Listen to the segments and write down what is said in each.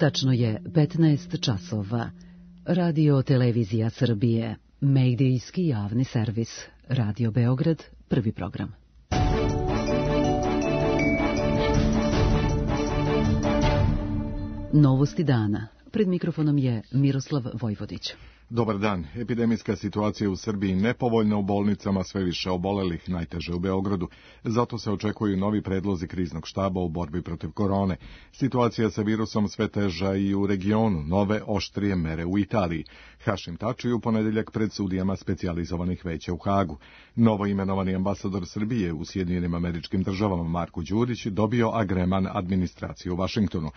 Tačno je 15 časova. Radio Televizija Srbije, medijski javni servis. Radio Beograd, prvi program. Novosti dana. Pred mikrofonom je Miroslav Vojvodić. Dobar dan. Epidemijska situacija u Srbiji nepovoljna, u bolnicama sve više obolelih, najteže u Beogradu. Zato se očekuju novi predlozi kriznog štaba u borbi protiv korone. Situacija sa virusom sve teža i u regionu, nove oštrije mere u Italiji. Hašim Tači u ponedeljak pred sudijama specijalizovanih veća u Hagu. Novo imenovani ambasador Srbije u Sjedinjenim Američkim Državama Marko Đurić dobio agreman administracije u Vašingtonu.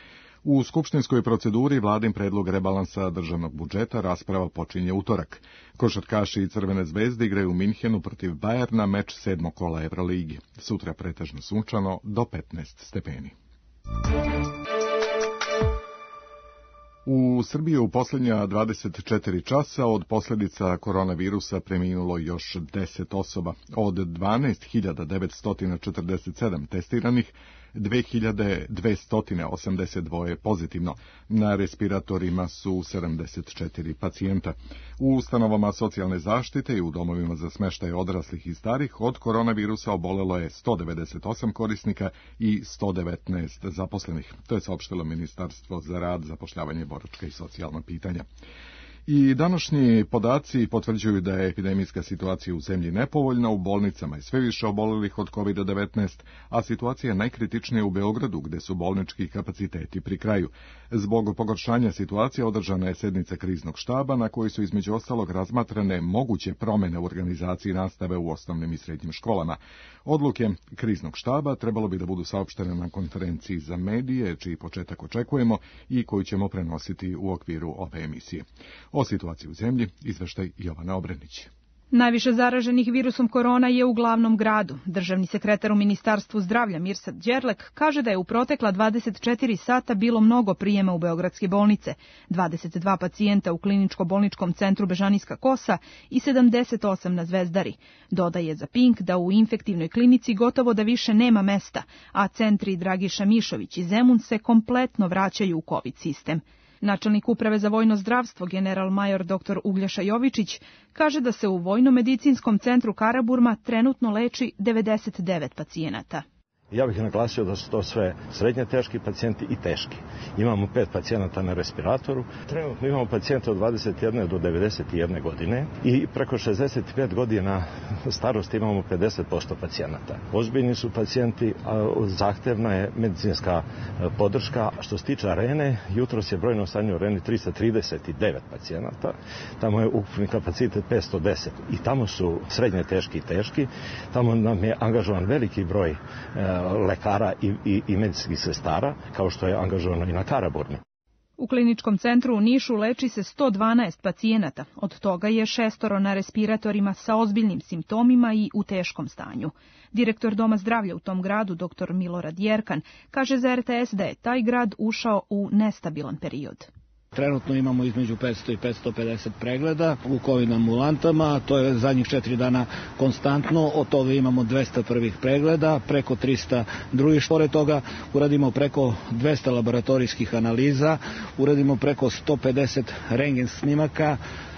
U skupštinskoj proceduri vladin predlog rebalansa državnog budžeta rasprava počinje utorak. Košarkaši i Crvene zvezde igraju u Minhenu protiv Bajerna, meč 7. kola Evroligi. Sutra pretežno sunčano do 15 stepeni. U Srbiji u posljednja 24 časa od posljedica koronavirusa preminulo još 10 osoba. Od 12.947 testiranih, 2.282 pozitivno. Na respiratorima su 74 pacijenta. U ustanovama socijalne zaštite i u domovima za smještaj odraslih i starih od koronavirusa obolelo je 198 korisnika i 119 zaposlenih. To je saopštilo Ministarstvo za rad, zapošljavanje, boračka i socijalna pitanja. I današnji podaci potvrđuju da je epidemijska situacija u zemlji nepovoljna, u bolnicama je sve više obolelih od COVID-19, a situacija je najkritičnija u Beogradu, gde su bolnički kapaciteti pri kraju. Zbog pogoršanja situacije održana je sednica kriznog štaba na kojoj su između ostalog razmatrane moguće promjene u organizaciji nastave u osnovnim i srednjim školama. Odluke kriznog štaba trebalo bi da budu saopštene na konferenciji za medije, čiji početak očekujemo i koju ćemo prenositi u okviru ove emisije. O situaciji u zemlji izveštaj Jovana Obrenić. Najviše zaraženih virusom korona je u glavnom gradu. Državni sekretar u Ministarstvu zdravlja Mirsad Đerlek kaže da je u protekla 24 sata bilo mnogo prijema u beogradske bolnice, 22 pacijenta u kliničko-bolničkom centru Bežanijska Kosa i 78 na Zvezdari. Dodaje za Pink da u infektivnoj klinici gotovo da više nema mesta, a centri Dragiša Mišović i Zemun se kompletno vraćaju u COVID sistem. Načelnik Uprave za vojno zdravstvo, general major dr. Uglješa Jovičić, kaže da se u Vojno-medicinskom centru Karaburma trenutno leči 99 pacijenata. Ja bih naglasio da su to sve srednje teški pacijenti i teški. Imamo 5 pacijenata na respiratoru. Trenutno imamo pacijente od 21 do 91 godine i preko 65 godina starosti imamo 50% pacijenata. Ozbiljni su pacijenti, a zahtevna je medicinska podrška. Što se tiče arene, jutros je brojno stanje u areni 339 pacijenata. Tamo je ukupni kapacitet 510 i tamo su srednje teški i teški. Tamo nam je angažovan veliki broj lekara i medicinskih sestara, kao što je angažovano i na Karaburmi. U kliničkom centru u Nišu leči se 112 pacijenata, od toga je 6 na respiratorima sa ozbiljnim simptomima i u teškom stanju. Direktor Doma zdravlja u tom gradu, dr. Milorad Jerkan, kaže za RTS da je taj grad ušao u nestabilan period. Trenutno imamo između 500 i 550 pregleda u COVID ambulantama, to je zadnjih 4 dana konstantno, od toga imamo 200 prvih pregleda, preko 300 drugih. Pored toga uradimo preko 200 laboratorijskih analiza, uradimo preko 150 rentgen snimaka,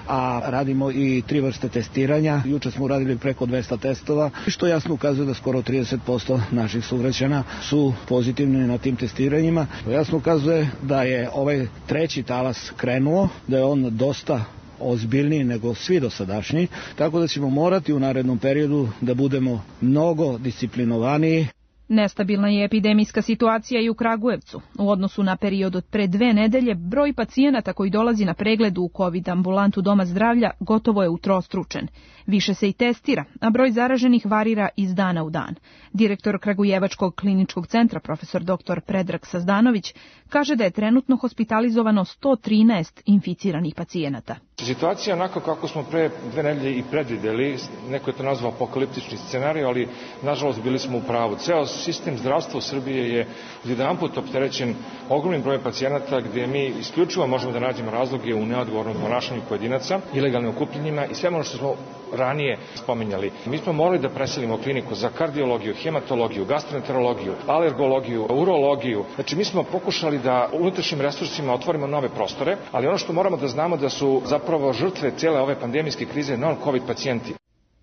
a radimo i 3 vrste testiranja. Juče smo uradili preko 200 testova, što jasno ukazuje da skoro 30% naših sugrađana su pozitivni na tim testiranjima. To jasno ukazuje da je ovaj treći talas krenuo, da je on dosta ozbiljniji nego svi dosadašnji, tako da ćemo morati u narednom periodu da budemo mnogo disciplinovaniji. Nestabilna je epidemijska situacija i u Kragujevcu. U odnosu na period od pre 2 nedelje, broj pacijenata koji dolazi na pregled u COVID ambulantu Doma zdravlja gotovo je utrostručen. Više se i testira, a broj zaraženih varira iz dana u dan. Direktor Kragujevačkog kliničkog centra, profesor dr. Predrag Sazdanović, kaže da je trenutno hospitalizovano 113 inficiranih pacijenata. Situacija onako kako smo pre 2 nedelje i predvideli, neko je to nazvao apokaliptični scenarij, ali nažalost bili smo u pravu. Ceo sistem zdravstva u Srbiji je odjedanput opterećen ogromnim brojem pacijenata gdje mi isključivo možemo da nađemo razloge u neodgovornom ponašanju pojedinaca, ilegalnim okupljenjima i sve ono što smo ranije spominjali. Mi smo morali da preselimo kliniku za kardiologiju, hematologiju, gastroenterologiju, alergologiju, urologiju. Znači mi smo pokušali da unutrašnjim resursima otvorimo nove prostore, ali ono što moramo da znamo da su zapravo žrtve cijele ove pandemijske krize non-covid pacijenti.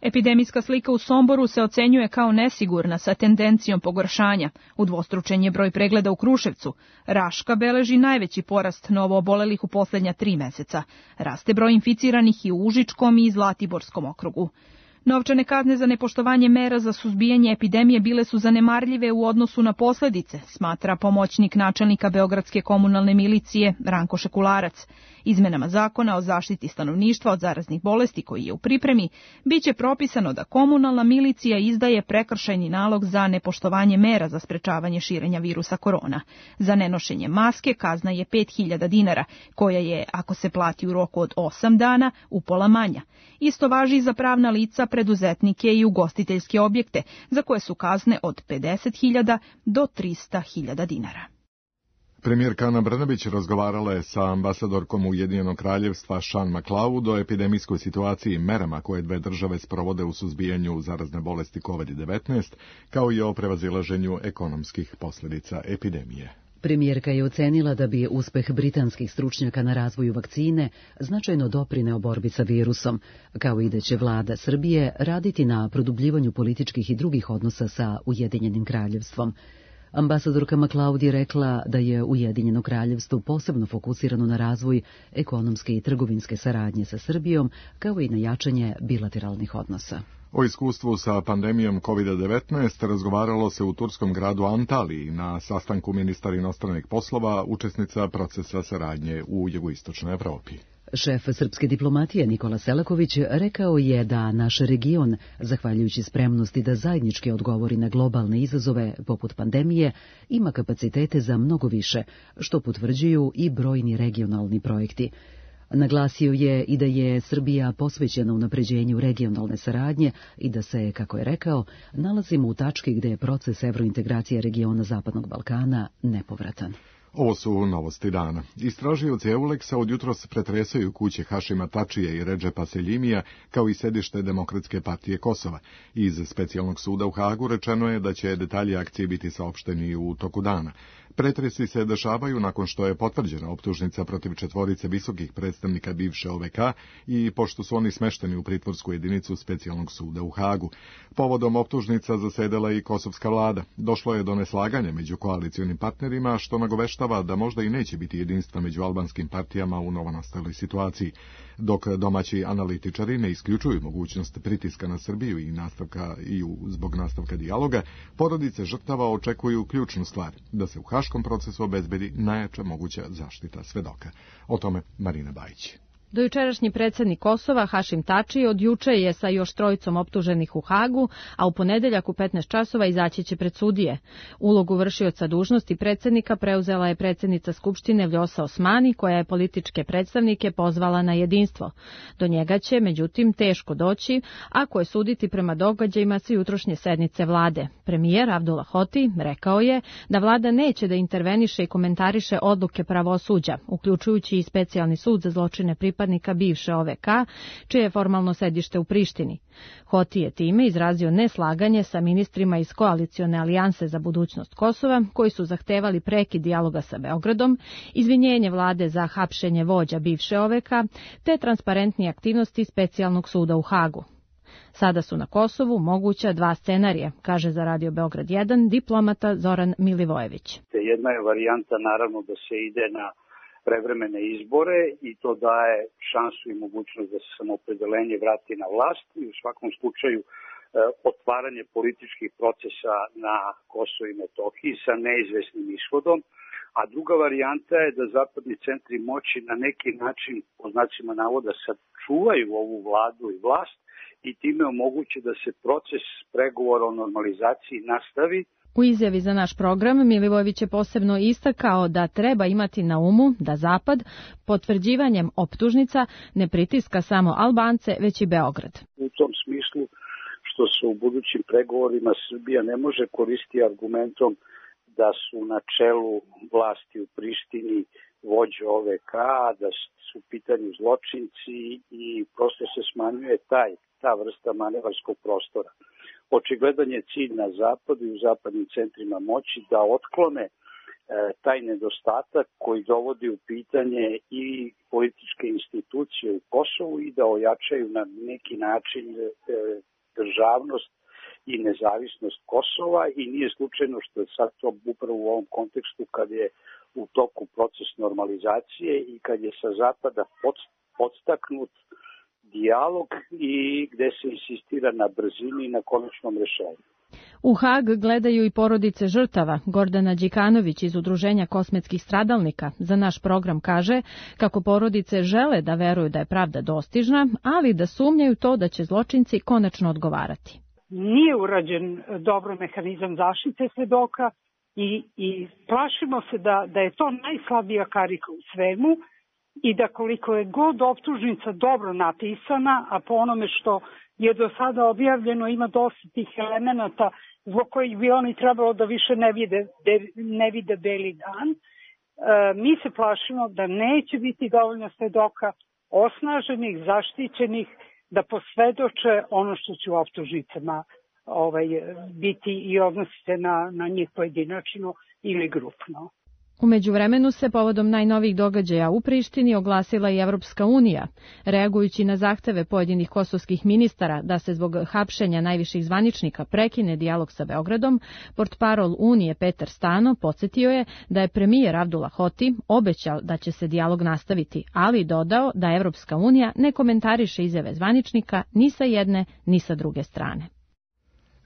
Epidemijska slika u Somboru se ocenjuje kao nesigurna sa tendencijom pogoršanja. Udvostručen je broj pregleda u Kruševcu. Raška beleži najveći porast novoobolelih u posljednja 3 meseca. Raste broj inficiranih i u Užičkom i Zlatiborskom okrugu. Novčane kazne za nepoštovanje mera za suzbijanje epidemije bile su zanemarljive u odnosu na posljedice, smatra pomoćnik načelnika Beogradske komunalne milicije Ranko Šekularac. Izmenama zakona o zaštiti stanovništva od zaraznih bolesti koji je u pripremi, biće propisano da komunalna milicija izdaje prekršajni nalog za nepoštovanje mera za sprečavanje širenja virusa korona. Za nenošenje maske kazna je 5.000 dinara, koja je, ako se plati u roku od 8 dana, upola manja. Isto važi i za pravna lica, preduzetnike i ugostiteljske objekte, za koje su kazne od 50.000 do 300.000 dinara. Premijerka Ana Brnabić razgovarala je sa ambasadorkom Ujedinjenog kraljevstva Sean McLeod o epidemijskoj situaciji i merama koje dve države sprovode u suzbijanju zarazne bolesti COVID-19, kao i o prevazilaženju ekonomskih posljedica epidemije. Premijerka je ocenila da bi uspeh britanskih stručnjaka na razvoju vakcine značajno doprineo borbi sa virusom, kao i da će vlada Srbije raditi na produbljivanju političkih i drugih odnosa sa Ujedinjenim kraljevstvom. Ambasadorka McLeod je rekla da je Ujedinjeno kraljevstvo posebno fokusirano na razvoj ekonomske i trgovinske saradnje sa Srbijom, kao i na jačanje bilateralnih odnosa. O iskustvu sa pandemijom COVID-19 razgovaralo se u turskom gradu Antaliji na sastanku ministara inostranih poslova, učesnica procesa saradnje u jugoistočnoj Evropi. Šef srpske diplomatije Nikola Selaković rekao je da naš region, zahvaljujući spremnosti da zajednički odgovori na globalne izazove poput pandemije, ima kapacitete za mnogo više, što potvrđuju i brojni regionalni projekti. Naglasio je i da je Srbija posvećena unapređenju regionalne saradnje i da se, kako je rekao, nalazimo u tački gde je proces evrointegracije regiona Zapadnog Balkana nepovratan. Ovo su novosti dana. Istražioci Euleksa od jutros pretresaju kuće Hašima Tačija i Redžepa Seljimija, kao i sedište Demokratske partije Kosova. Iz specijalnog suda u Hagu rečeno je da će detalji akcije biti saopšteni u toku dana. Pretresi se dešavaju nakon što je potvrđena optužnica protiv 4 visokih predstavnika bivše OVK i pošto su oni smešteni u pritvorsku jedinicu specijalnog suda u Hagu. Povodom optužnica zasedala i kosovska vlada. Došlo je do neslaganja među koalicionim partnerima, što nagoveštava da možda i neće biti jedinstva među albanskim partijama u novonastaloj situaciji. Dok domaći analitičari ne isključuju mogućnost pritiska na Srbiju zbog nastavka dijaloga, porodice žrtava očekuju ključnu stvar, da se u haškom procesu obezbedi najjača moguća zaštita svedoka. O tome Marina Bajić. Dojučerašnji predsjednik Kosova, Hašim Tači, od juče je sa još 3 optuženih u Hagu, a u ponedeljak u 15 časova izaći će pred sudije. Ulogu vršioca dužnosti predsjednika preuzela je predsjednica Skupštine Vljosa Osmani, koja je političke predstavnike pozvala na jedinstvo. Do njega će, međutim, teško doći, ako je suditi prema događajima sa jutrošnje sednice vlade. Premijer Abdullah Hoti rekao je da vlada neće da interveniše i komentariše odluke pravosuđa, uključujući i specijalni sud za zločine pripadnika bivše OVK, čije je formalno sedište u Prištini. Hoti je time izrazio neslaganje sa ministrima iz koalicione alijanse za budućnost Kosova, koji su zahtevali prekid dijaloga sa Beogradom, izvinjenje vlade za hapšenje vođa bivše OVK, te transparentnije aktivnosti specijalnog suda u Hagu. Sada su na Kosovu moguća 2 scenarija, kaže za Radio Beograd 1 diplomata Zoran Milivojević. Jedna je varijanta naravno da se ide na prevremene izbore i to daje šansu i mogućnost da se samoopredeljenje vrati na vlast i u svakom slučaju otvaranje političkih procesa na Kosovu i Metohiji sa neizvesnim ishodom. A druga varijanta je da zapadni centri moći na neki način, po znacima navoda, sačuvaju ovu vladu i vlast i time omoguće da se proces pregovora o normalizaciji nastavi. U izjavi za naš program Milivojević je posebno istakao da treba imati na umu da Zapad potvrđivanjem optužnica ne pritiska samo Albance, već i Beograd. U tom smislu što se u budućim pregovorima Srbija ne može koristiti argumentom da su na čelu vlasti u Prištini vođe OVK, da su u pitanju zločinci i prosto se smanjuje ta vrsta manevarskog prostora. Očigledan je cilj na zapadu i u zapadnim centrima moći da otklone taj nedostatak koji dovodi u pitanje i političke institucije u Kosovu i da ojačaju na neki način državnost i nezavisnost Kosova i nije slučajno što je sad to upravo u ovom kontekstu kad je u toku proces normalizacije i kad je sa zapada podstaknut dijalog i gde se insistira na brzini i na konačnom rešenju. U Hag gledaju i porodice žrtava. Gordana Đikanović iz Udruženja kosmetskih stradalnika za naš program kaže kako porodice žele da veruju da je pravda dostižna, ali da sumnjaju to da će zločinci konačno odgovarati. Nije urađen dobro mehanizam zaštite svedoka i plašimo se da je to najslabija karika u svemu i da koliko je god optužnica dobro napisana, a po onome što je do sada objavljeno ima dosta tih elemenata zbog kojih bi oni trebalo da više ne vide beli dan, mi se plašimo da neće biti dovoljno svedoka osnaženih, zaštićenih, da posvedoče ono što će u optužnicama biti i odnosi se na njih pojedinačno ili grupno. U međuvremenu se povodom najnovijih događaja u Prištini oglasila i Evropska unija. Reagujući na zahteve pojedinih kosovskih ministara da se zbog hapšenja najviših zvaničnika prekine dijalog sa Beogradom, portparol Unije Petar Stano podsjetio je da je premijer Abdullah Hoti obećao da će se dijalog nastaviti, ali dodao da Evropska unija ne komentariše izjave zvaničnika ni sa jedne ni sa druge strane.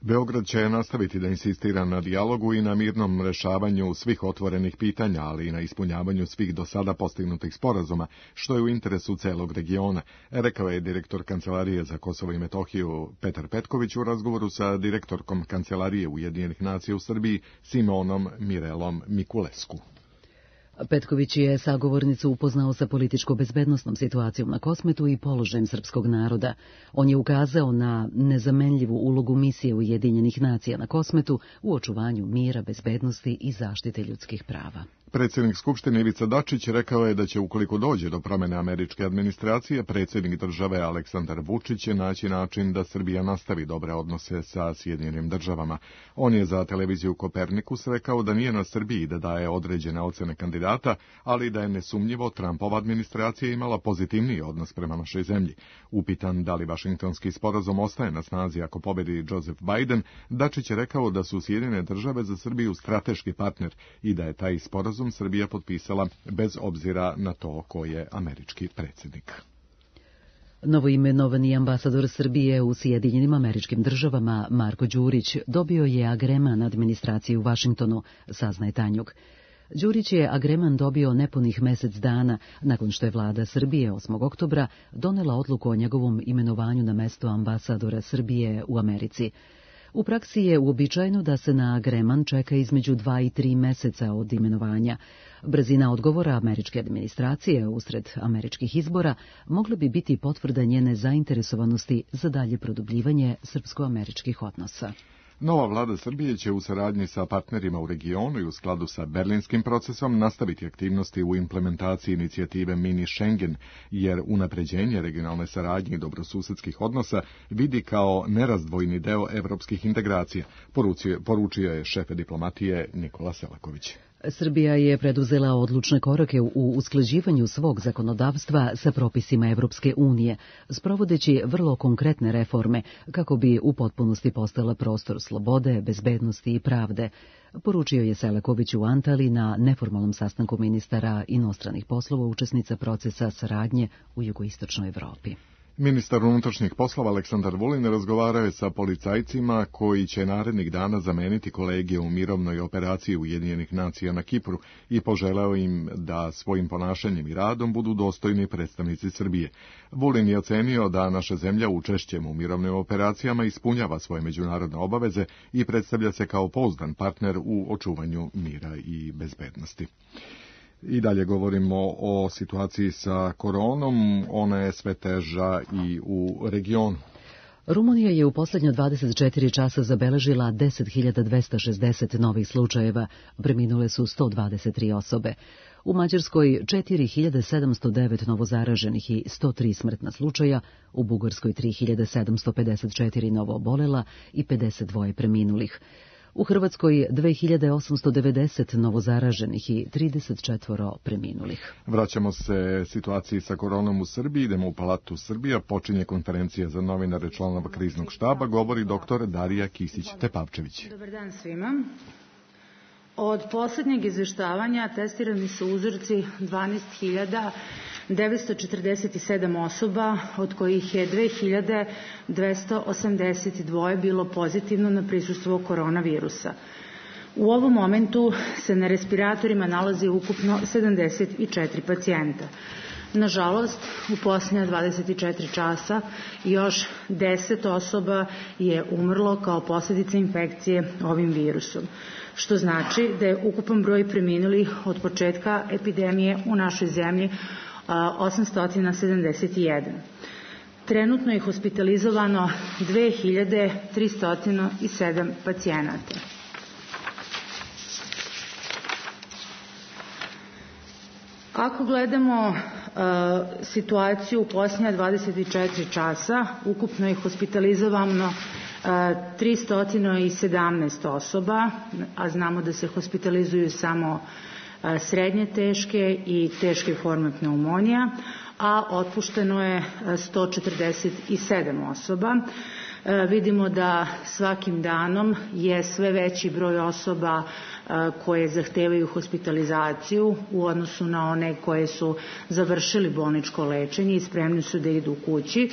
Beograd će nastaviti da insistira na dijalogu i na mirnom rešavanju svih otvorenih pitanja, ali i na ispunjavanju svih do sada postignutih sporazuma, što je u interesu celog regiona, rekao je direktor Kancelarije za Kosovo i Metohiju Petar Petković u razgovoru sa direktorkom Kancelarije Ujedinjenih nacija u Srbiji Simonom Mirelom Mikulesku. Petković je sagovornicu upoznao sa političko-bezbednosnom situacijom na Kosmetu i položajem srpskog naroda. On je ukazao na nezamenljivu ulogu misije Ujedinjenih nacija na Kosmetu u očuvanju mira, bezbednosti i zaštite ljudskih prava. Predsjednik Skupštine Ivica Dačić rekao je da će, ukoliko dođe do promjene američke administracije, predsjednik države Aleksandar Vučić će naći način da Srbija nastavi dobre odnose sa Sjedinjenim državama. On je za televiziju Kopernikus rekao da nije na Srbiji da daje određene ocene kandidata, ali da je nesumnjivo Trumpova administracija imala pozitivniji odnos prema našoj zemlji. Upitan da li Vašingtonski sporazum ostaje na snazi ako pobedi Joseph Biden, Dačić je rekao da su Sjedinjene države za Srbiju strateški partner i da je taj sporazum Srbija potpisala bez obzira na to ko je američki predsjednik. Novoimenovani ambasador Srbije u Sjedinjenim Američkim Državama Marko Đurić dobio je agreman administracije u Vašingtonu, saznaje Tanjug. Đurić je agreman dobio nepunih mesec dana nakon što je vlada Srbije 8. oktobra donela odluku o njegovom imenovanju na mesto ambasadora Srbije u Americi. U praksi je uobičajeno da se na agreman čeka između 2 i 3 meseca od imenovanja. Brzina odgovora američke administracije usred američkih izbora mogla bi biti potvrda njene zainteresovanosti za dalje produbljivanje srpsko-američkih odnosa. Nova vlada Srbije će u saradnji sa partnerima u regionu i u skladu sa berlinskim procesom nastaviti aktivnosti u implementaciji inicijative Mini Schengen, jer unapređenje regionalne saradnje i dobrosusedskih odnosa vidi kao nerazdvojni deo evropskih integracija, poručio je šef diplomatije Nikola Selaković. Srbija je preduzela odlučne korake u usklađivanju svog zakonodavstva sa propisima Evropske unije, sprovodeći vrlo konkretne reforme kako bi u potpunosti postala prostor slobode, bezbednosti i pravde, poručio je Selaković u Antali na neformalnom sastanku ministara inostranih poslova učesnica procesa saradnje u jugoistočnoj Evropi. Ministar unutrašnjih poslova Aleksandar Vulin razgovarao je sa policajcima koji će narednih dana zameniti kolege u mirovnoj operaciji Ujedinjenih nacija na Kipru i poželeo im da svojim ponašanjem i radom budu dostojni predstavnici Srbije. Vulin je ocenio da naša zemlja učešćem u mirovnim operacijama ispunjava svoje međunarodne obaveze i predstavlja se kao pouzdan partner u očuvanju mira i bezbednosti. I dalje govorimo o situaciji sa koronom, ona je sve teža i u regionu. Rumunija je u posljednja 24 časa zabeležila 10.260 novih slučajeva, preminule su 123 osobe. U Mađarskoj 4.709 novozaraženih i 103 smrtna slučaja, u Bugarskoj 3.754 novo obolela i 52 preminulih. U Hrvatskoj 2.890 novozaraženih i 34 preminulih. Vraćamo se situaciji sa koronom u Srbiji, idemo u Palatu Srbija, počinje konferencija za novinare članova kriznog štaba, govori dr. Darija Kisić-Tepavčević. Dobar dan svima. Od poslednjeg izveštavanja testirani su uzorci 12.947 osoba, od kojih je 2.282 bilo pozitivno na prisustvo koronavirusa. U ovom momentu se na respiratorima nalazi ukupno 74 pacijenta. Nažalost, u posljednja 24 časa još 10 osoba je umrlo kao posljedica infekcije ovim virusom, što znači da je ukupan broj preminulih od početka epidemije u našoj zemlji 871. Trenutno je hospitalizovano 2.307 pacijenata. Ako gledamo situaciju u posljednja 24 časa, ukupno je hospitalizovano 317 osoba, a znamo da se hospitalizuju samo srednje teške i teške forme pneumonija, a otpušteno je 147 osoba. Vidimo da svakim danom je sve veći broj osoba koje zahtevaju hospitalizaciju u odnosu na one koje su završili bolničko lečenje i spremni su da idu kući,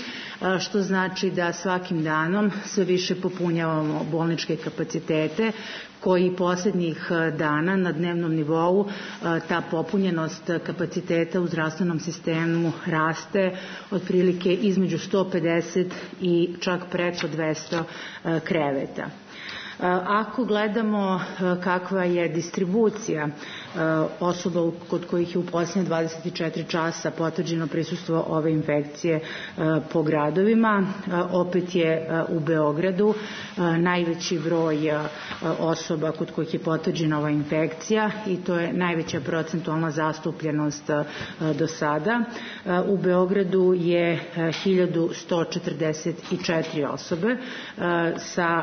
što znači da svakim danom sve više popunjavamo bolničke kapacitete, koji posljednjih dana na dnevnom nivou ta popunjenost kapaciteta u zdravstvenom sistemu raste otprilike između 150 i čak preko 200 kreveta. Ako gledamo kakva je distribucija osoba kod kojih je u posljednje 24 časa potvrđeno prisustvo ove infekcije po gradovima, opet je u Beogradu najveći broj osoba kod kojih je potvrđena ova infekcija i to je najveća procentualna zastupljenost do sada. U Beogradu je 1144 osobe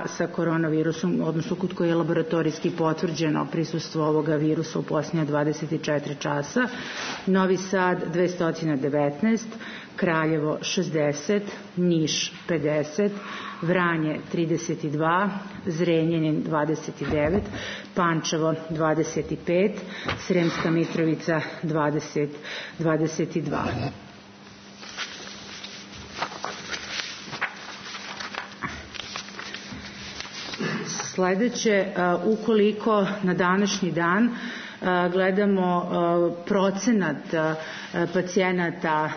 sa koronavirusom, odnosno kod koje je laboratorijski potvrđeno prisustvo ovoga virusa u posljednja 24 časa. Novi Sad 219, Kraljevo 60, Niš 50, Vranje 32, Zrenjanin 29, Pančevo 25, Sremska Mitrovica 22. Sledeće, ukoliko na današnji dan gledamo procenat pacijenata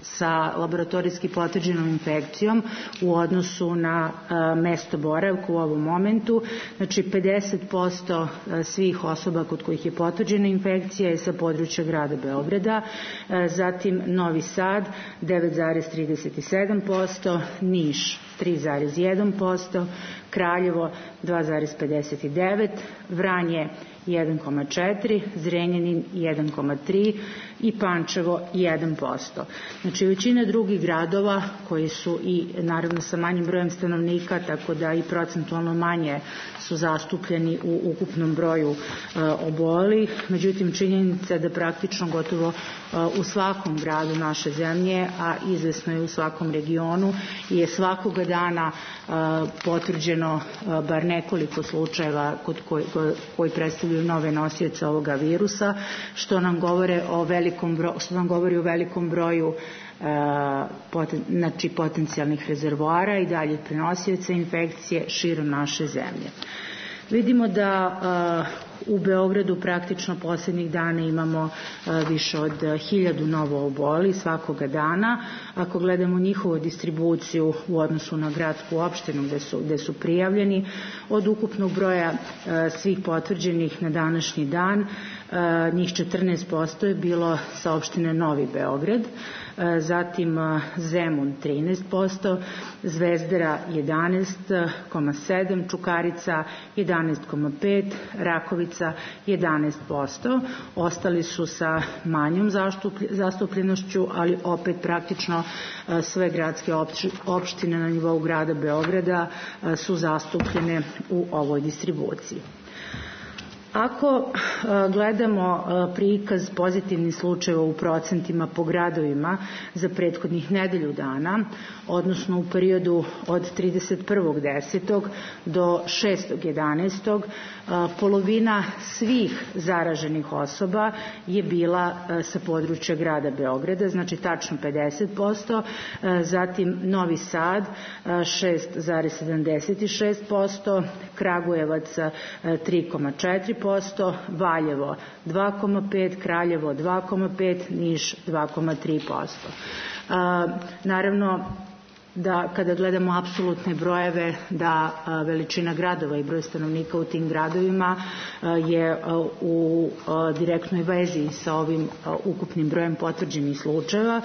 sa laboratorijski potvrđenom infekcijom u odnosu na mesto boravka u ovom momentu. Znači 50% svih osoba kod kojih je potvrđena infekcija je sa područja grada Beograda, zatim Novi Sad 9,37%, Niš 3,1%, Kraljevo 2,59%, Vranje 1,4%, Zrenjanin 1,3% i Pančevo 1%. Znači većina drugih gradova koji su i naravno sa manjim brojem stanovnika, tako da i procentualno manje su zastupljeni u ukupnom broju obolelih. Međutim, činjenica da praktično gotovo u svakom gradu naše zemlje, a izvesno je u svakom regionu, je svakoga dana potvrđeno bar nekoliko slučajeva koji predstavljaju nove nosioce ovoga virusa, što nam govori o velikom broju znači potencijalnih rezervoara i dalje prenosioca infekcije širom naše zemlje. Vidimo da U Beogradu praktično posljednjih dana imamo više od 1000 novo obolelih svakoga dana. Ako gledamo njihovu distribuciju u odnosu na gradsku opštinu gde su prijavljeni, od ukupnog broja svih potvrđenih na današnji dan, njih 14% je bilo sa opštine Novi Beograd, zatim Zemun 13%, Zvezdara 11,7%, Čukarica 11,5%, Rakovica 11%. Ostali su sa manjom zastupljenošću, ali opet praktično sve gradske opštine na nivou grada Beograda su zastupljene u ovoj distribuciji. Ako gledamo prikaz pozitivnih slučajeva u procentima po gradovima za prethodnih nedelju dana, odnosno u periodu od 31.10. do 6.11. polovina svih zaraženih osoba je bila sa područja grada Beograda, znači tačno 50%, zatim Novi Sad 6,76%, Kragujevac 3,4%, Valjevo 2,5%, Kraljevo 2,5%, Niš 2,3%. Naravno, da kada gledamo apsolutne brojeve, da veličina gradova i broj stanovnika u tim gradovima je u direktnoj vezi sa ovim ukupnim brojem potvrđenih slučajeva.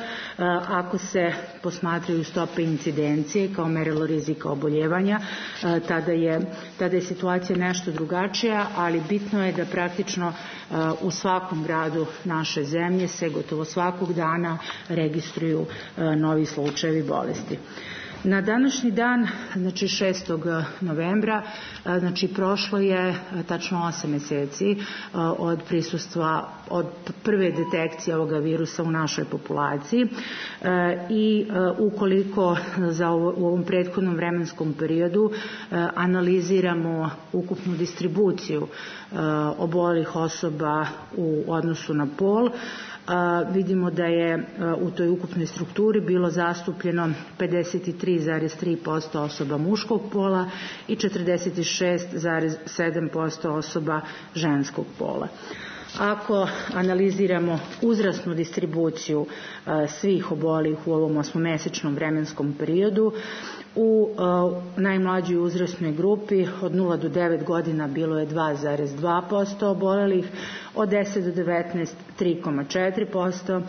Ako se posmatraju stope incidencije kao merilo rizika oboljevanja, tada je situacija nešto drugačija, ali bitno je da praktično u svakom gradu naše zemlje se gotovo svakog dana registruju novi slučajevi bolesti. Na današnji dan, znači 6. novembra, znači prošlo je tačno 8 meseci od prisustva, od prve detekcije ovoga virusa u našoj populaciji i ukoliko u ovom prethodnom vremenskom periodu analiziramo ukupnu distribuciju obolelih osoba u odnosu na pol, vidimo da je u toj ukupnoj strukturi bilo zastupljeno 53,3% osoba muškog pola i 46,7% osoba ženskog pola. Ako analiziramo uzrasnu distribuciju svih obolelih u ovom 8-mesečnom vremenskom periodu, u najmlađoj uzrasnoj grupi od 0 do 9 godina bilo je 2,2% obolelih, od 10 do 19 3,4%,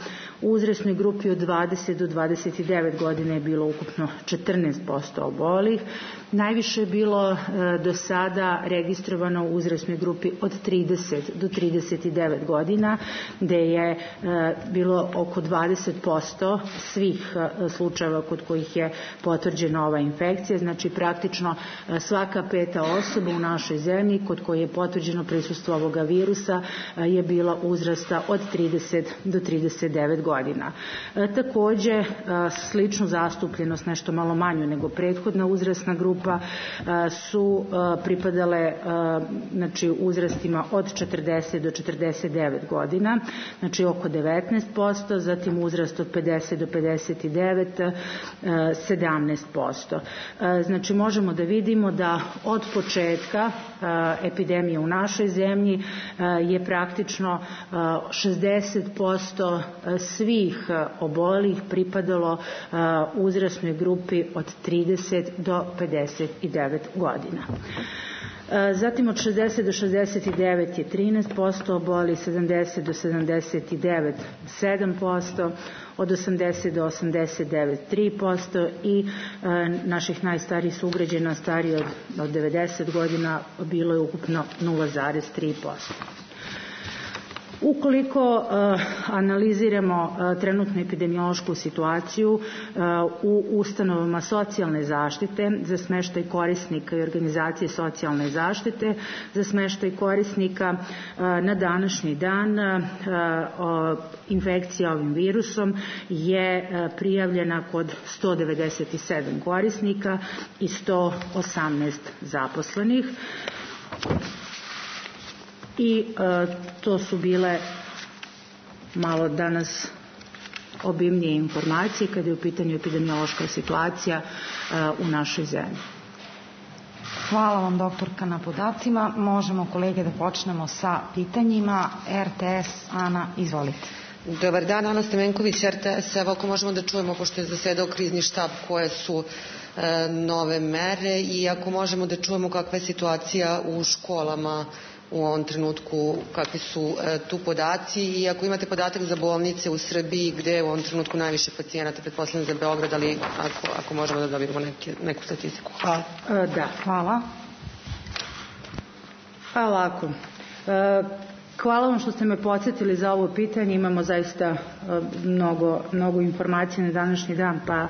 u uzrasnoj grupi od 20 do 29 godina je bilo ukupno 14% obolelih. Najviše je bilo do sada registrovano u uzrasnoj grupi od 30 do 39 godina, gde je bilo oko 20% svih slučajeva kod kojih je potvrđena ova infekcija, znači praktično svaka 5. osoba u našoj zemlji kod koje je potvrđeno prisustvo ovoga virusa je bila uzrasta od 30 do 39 godina. Takođe, sličnu zastupljenost, nešto malo manju nego prethodna uzrasna grupa, su pripadale znači, uzrastima od 40 do 49 godina, znači oko 19%, zatim uzrast od 50 do 59, 17%. Znači možemo da vidimo da od početka epidemije u našoj zemlji je praktično 60% svih obolelih pripadalo uzrasnoj grupi od 30 do 59 godina. Zatim od 60 do 69 je 13% obolelih, 70 do 79 7%, od 80 do 89 3% i naših najstarijih sugrađana stariji od 90 godina bilo je ukupno 0,3%. Ukoliko analiziramo trenutnu epidemiološku situaciju u ustanovama socijalne zaštite za smeštaj korisnika i organizacije socijalne zaštite, za smeštaj korisnika na današnji dan infekcija ovim virusom je prijavljena kod 197 korisnika i 118 zaposlenih. I to su bile malo danas obimnije informacije kada je u pitanju epidemiološka situacija u našoj zemlji. Hvala vam, doktorka, na podacima. Možemo, kolege, da počnemo sa pitanjima. RTS, Ana, izvolite. Dobar dan, Ana Stemenković, RTS. Evo, ako možemo da čujemo, pošto je zasedao krizni štab, koje su nove mere i ako možemo da čujemo kakva je situacija u školama u ovom trenutku, kakvi su tu podaci i ako imate podatak za bolnice u Srbiji gde je u ovom trenutku najviše pacijenata, pretpostavljam za Beograd, ali ako možemo da dobijemo neku statistiku. Hvala. Da, hvala. Pa ovako, hvala vam što ste me podsjetili za ovo pitanje, imamo zaista mnogo informacija na današnji dan, pa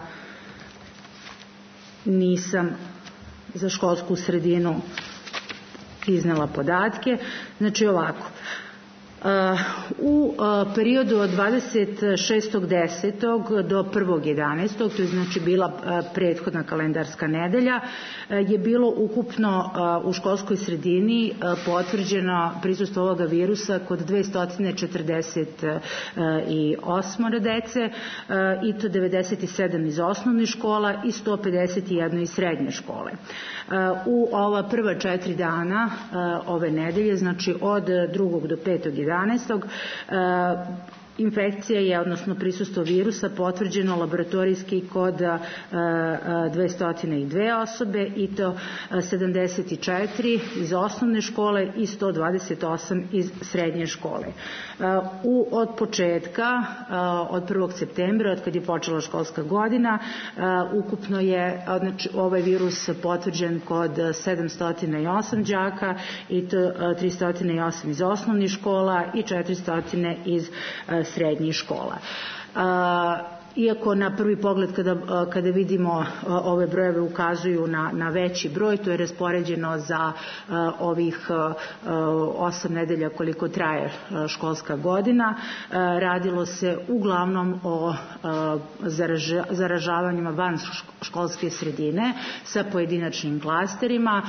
nisam za školsku sredinu iznela podatke. Znači ovako, u periodu od 26.10. do 1.11., to je znači bila prethodna kalendarska nedelja, je bilo ukupno u školskoj sredini potvrđeno prisustvo ovoga virusa kod 248 dece i to 97 iz osnovnih škola i 151 iz srednje škole. U ova prva 4 dana ove nedelje, znači od 2. do 5.11. Infekcija je, odnosno prisustvo virusa, potvrđeno laboratorijski kod 202 osobe i to 74 iz osnovne škole i 128 iz srednje škole. Od početka, od 1. septembra, od kad je počela školska godina, ukupno je ovaj virus potvrđen kod 708 đaka i to 308 iz osnovnih škola i 400 iz srednjih škola. Iako na prvi pogled kada vidimo ove brojeve ukazuju na veći broj, to je raspoređeno za ovih 8 nedelja koliko traje školska godina. Radilo se uglavnom o zaražavanjima van školske sredine sa pojedinačnim klasterima,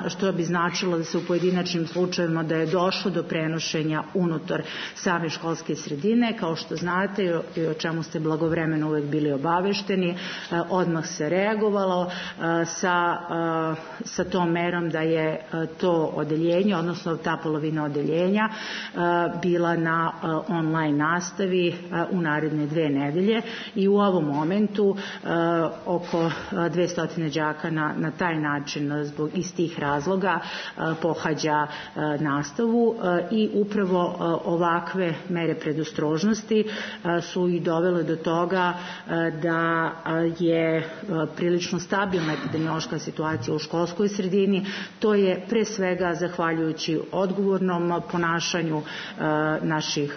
što bi značilo da se u pojedinačnim slučajevima da je došlo do prenošenja unutar same školske sredine. Kao što znate i o čemu ste blagovremeno uvek bili obavešteni, odmah se reagovalo sa tom merom da je to odeljenje, odnosno ta polovina odeljenja bila na online nastavi u naredne 2 nedelje i u ovom momentu oko 200 đaka na taj način zbog istih razloga pohađa nastavu i upravo ovakve mere predostrožnosti su i dovele do toga da je prilično stabilna epidemiološka situacija u školskoj sredini. To je pre svega zahvaljujući odgovornom ponašanju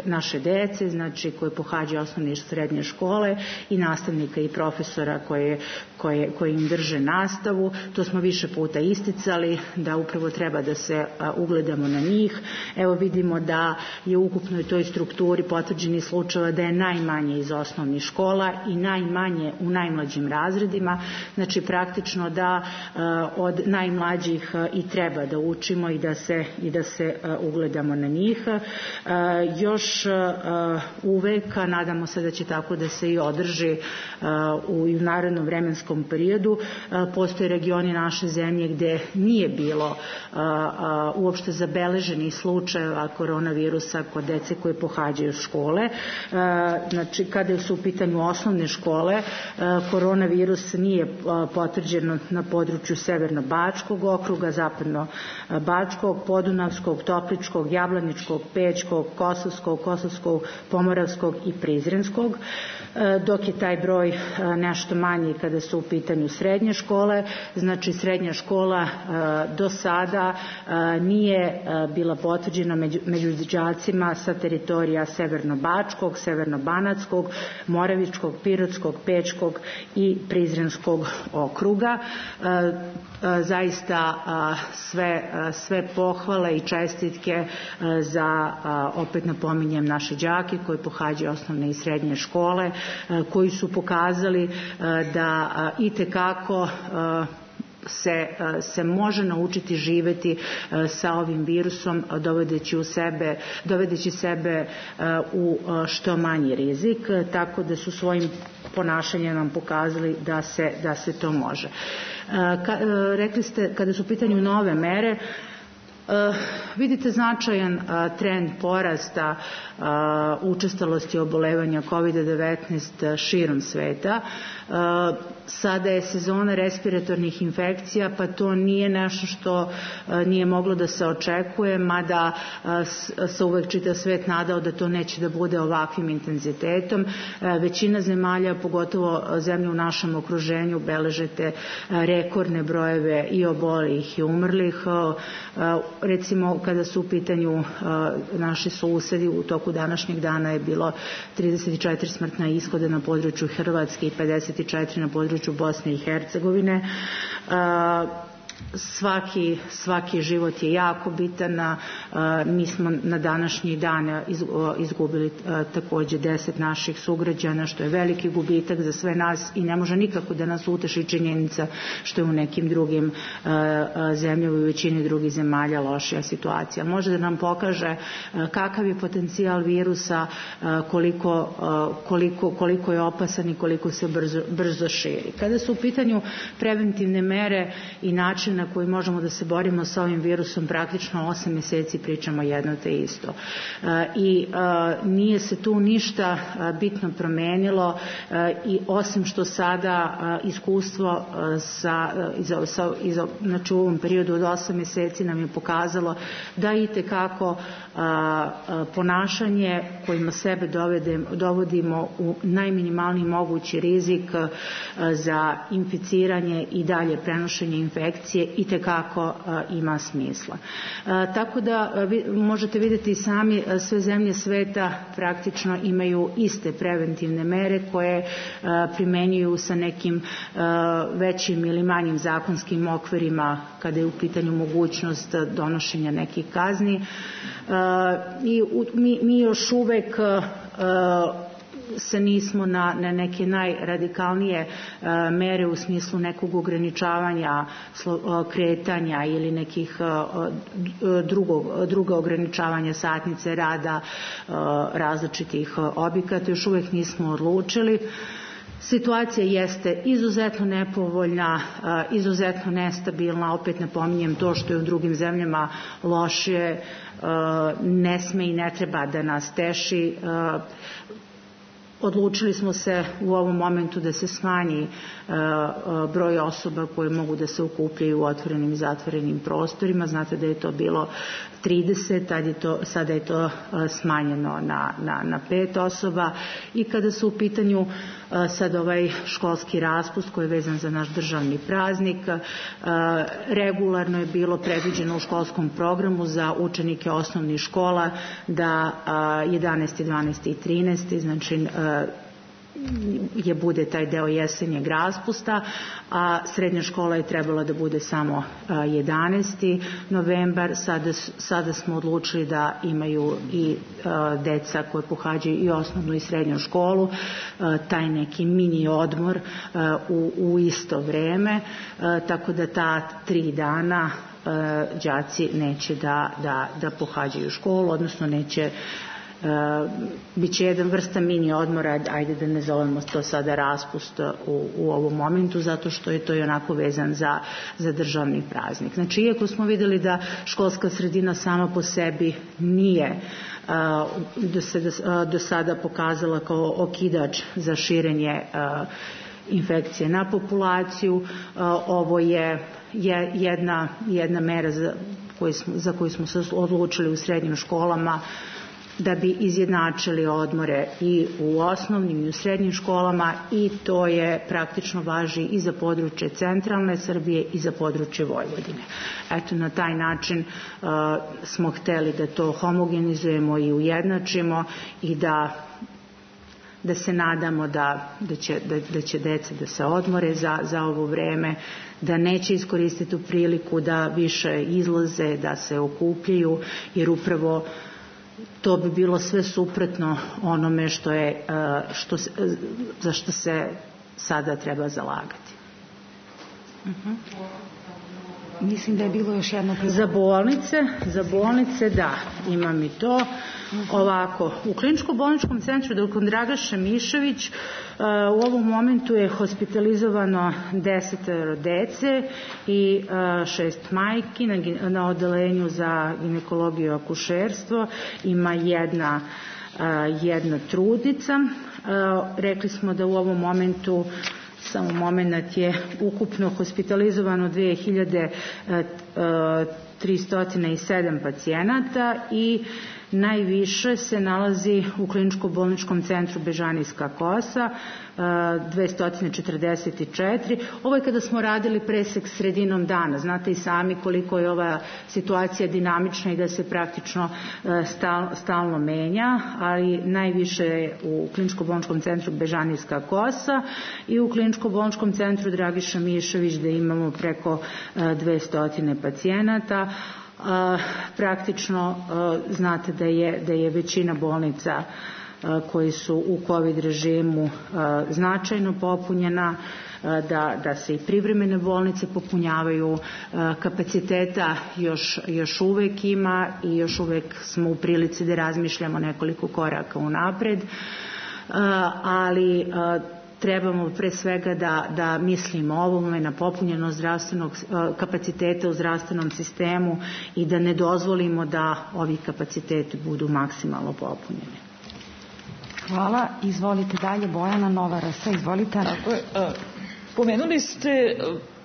naše dece, znači koje pohađaju osnovne i srednje škole i nastavnika i profesora koji im drže nastavu. To smo više puta isticali da upravo treba da se ugledamo na njih. Evo vidimo da je u ukupnoj toj strukturi potvrđenih slučajeva da je najmanje iz osnovnih škola i najmanje u najmlađim razredima. Znači praktično da od najmlađih i treba da učimo i da se ugledamo na njih. Još uvek, nadamo se da će tako da se i održi u narednom vremenskom periodu. Postoje regioni naše zemlje gde nije bilo uopšte zabeleženih slučajeva koronavirusa kod dece koje pohađaju škole. Znači, kada su u pitanju osnovne škole, koronavirus nije potvrđen na području Severno-Bačkog okruga, Zapadno-Bačkog, Podunavskog, Topličkog, Jablaničkog, Pećkog, Kosovskog, Pomoravskog i Prizrenskog, dok je taj broj nešto manji kada su u pitanju srednje škole. Znači, srednja škola do sada nije bila potvrđena među đacima sa teritorija Severno-Bačkog, Severno-Banatskog, Moravičkog, Pirotskog, Pečkog i Prizrenskog okruga. Zaista sve pohvale i čestitke za, opet napominjem, naše đake koji pohađaju osnovne i srednje škole, koji su pokazali da itekako se može naučiti živjeti sa ovim virusom, dovedeći sebe u što manji rizik, tako da su svojim ponašanjem nam pokazali da se to može. Rekli ste, kada su u pitanju nove mere, vidite značajan trend porasta učestalosti obolevanja COVID-19 širom sveta. Sada je sezona respiratornih infekcija, pa to nije nešto što nije moglo da se očekuje, mada se uvek čitav svet nadao da to neće da bude ovakvim intenzitetom. Većina zemalja, pogotovo zemlje u našem okruženju, beležete rekordne brojeve i obolelih i umrlih. Recimo, kada su u pitanju naši susedi, u toku današnjeg dana je bilo 34 smrtna ishoda na području Hrvatske i 54 na području Bosne i Hercegovine. Svaki život je jako bitan. Mi smo na današnji dan izgubili takođe 10 naših sugrađana, što je veliki gubitak za sve nas i ne može nikako da nas uteši činjenica što je u nekim drugim zemljama i u većini drugih zemalja lošija situacija. Može da nam pokaže kakav je potencijal virusa, koliko je opasan i koliko se brzo širi. Kada su u pitanju preventivne mere i način na koji možemo da se borimo sa ovim virusom, praktično 8 meseci pričamo jedno te isto. I nije se tu ništa bitno promenilo, i osim što sada iskustvo znači u ovom periodu od 8 meseci nam je pokazalo da itekako ponašanje kojima sebe dovodimo u najminimalniji mogući rizik za inficiranje i dalje prenošenje infekcije itekako ima smisla. Tako da možete vidjeti i sami, sve zemlje sveta praktično imaju iste preventivne mere koje primenjuju sa nekim većim ili manjim zakonskim okvirima kada je u pitanju mogućnost donošenja nekih kazni. I mi još uvek se nismo na neke najradikalnije mere u smislu nekog ograničavanja kretanja ili nekih druga ograničavanja satnice rada različitih objekata, još uvek nismo odlučili. Situacija jeste izuzetno nepovoljna, izuzetno nestabilna, opet napominjem to što je u drugim zemljama lošije, ne sme i ne treba da nas teši. Odlučili smo se u ovom momentu da se smanji broj osoba koje mogu da se okupljaju u otvorenim i zatvorenim prostorima. Znate da je to bilo 30, sada je to smanjeno na 5 osoba. I kada su u pitanju sad ovaj školski raspust koji je vezan za naš državni praznik, regularno je bilo predviđeno u školskom programu za učenike osnovnih škola da 11. 12. i 13. znači bude taj deo jesenjeg raspusta, a srednja škola je trebala da bude samo 11. novembar. Sada smo odlučili da imaju i deca koje pohađaju i osnovnu i srednju školu taj neki mini odmor u isto vreme, tako da ta 3 dana đaci neće da pohađaju školu, odnosno neće, biće jedan vrsta mini odmora, ajde da ne zovemo to sada raspust u ovom momentu, zato što je to i onako vezan za državni praznik. Znači, iako smo videli da školska sredina sama po sebi nije do sada pokazala kao okidač za širenje infekcije na populaciju, ovo je jedna mera za koju smo se odlučili u srednjim školama da bi izjednačili odmore i u osnovnim i u srednjim školama, i to je praktično važi i za područje centralne Srbije i za područje Vojvodine. Eto, na taj način smo hteli da to homogenizujemo i ujednačimo i da se nadamo da će deca da se odmore za ovo vreme, da neće iskoristiti tu priliku da više izlaze, da se okupljaju, jer upravo to bi bilo sve suprotno onome za što se sada treba zalagati. Mislim da je bilo još jedno Za bolnice da, imam i to. Ovako, u kliničko-bolničkom centru Dr. Dragaša Mišović u ovom momentu je hospitalizovano 10 dece i 6 majki. Na odelenju za ginekologiju i akušerstvo ima jedna trudnica. Rekli smo da u ovom momentu samo moment je ukupno hospitalizovano 2307 pacijenata i najviše se nalazi u kliničko-bolničkom centru Bežanijska Kosa, 244. Ovo je kada smo radili presek sredinom dana. Znate i sami koliko je ova situacija dinamična i da se praktično stalno menja, ali najviše je u kliničko-bolničkom centru Bežanijska Kosa i u kliničko-bolničkom centru Dragiša Mišović da imamo preko 200 pacijenata. Praktično znate da je većina bolnica koji su u COVID režimu značajno popunjena, da se i privremene bolnice popunjavaju, kapaciteta još uvek ima i još uvek smo u prilici da razmišljamo nekoliko koraka unapred, ali trebamo pre svega da mislimo o ovome, na popunjenost zdravstvenog kapaciteta u zdravstvenom sistemu i da ne dozvolimo da ovi kapaciteti budu maksimalno popunjeni. Hvala. Izvolite dalje, Bojana Nova RS, izvolite. Pomenuli ste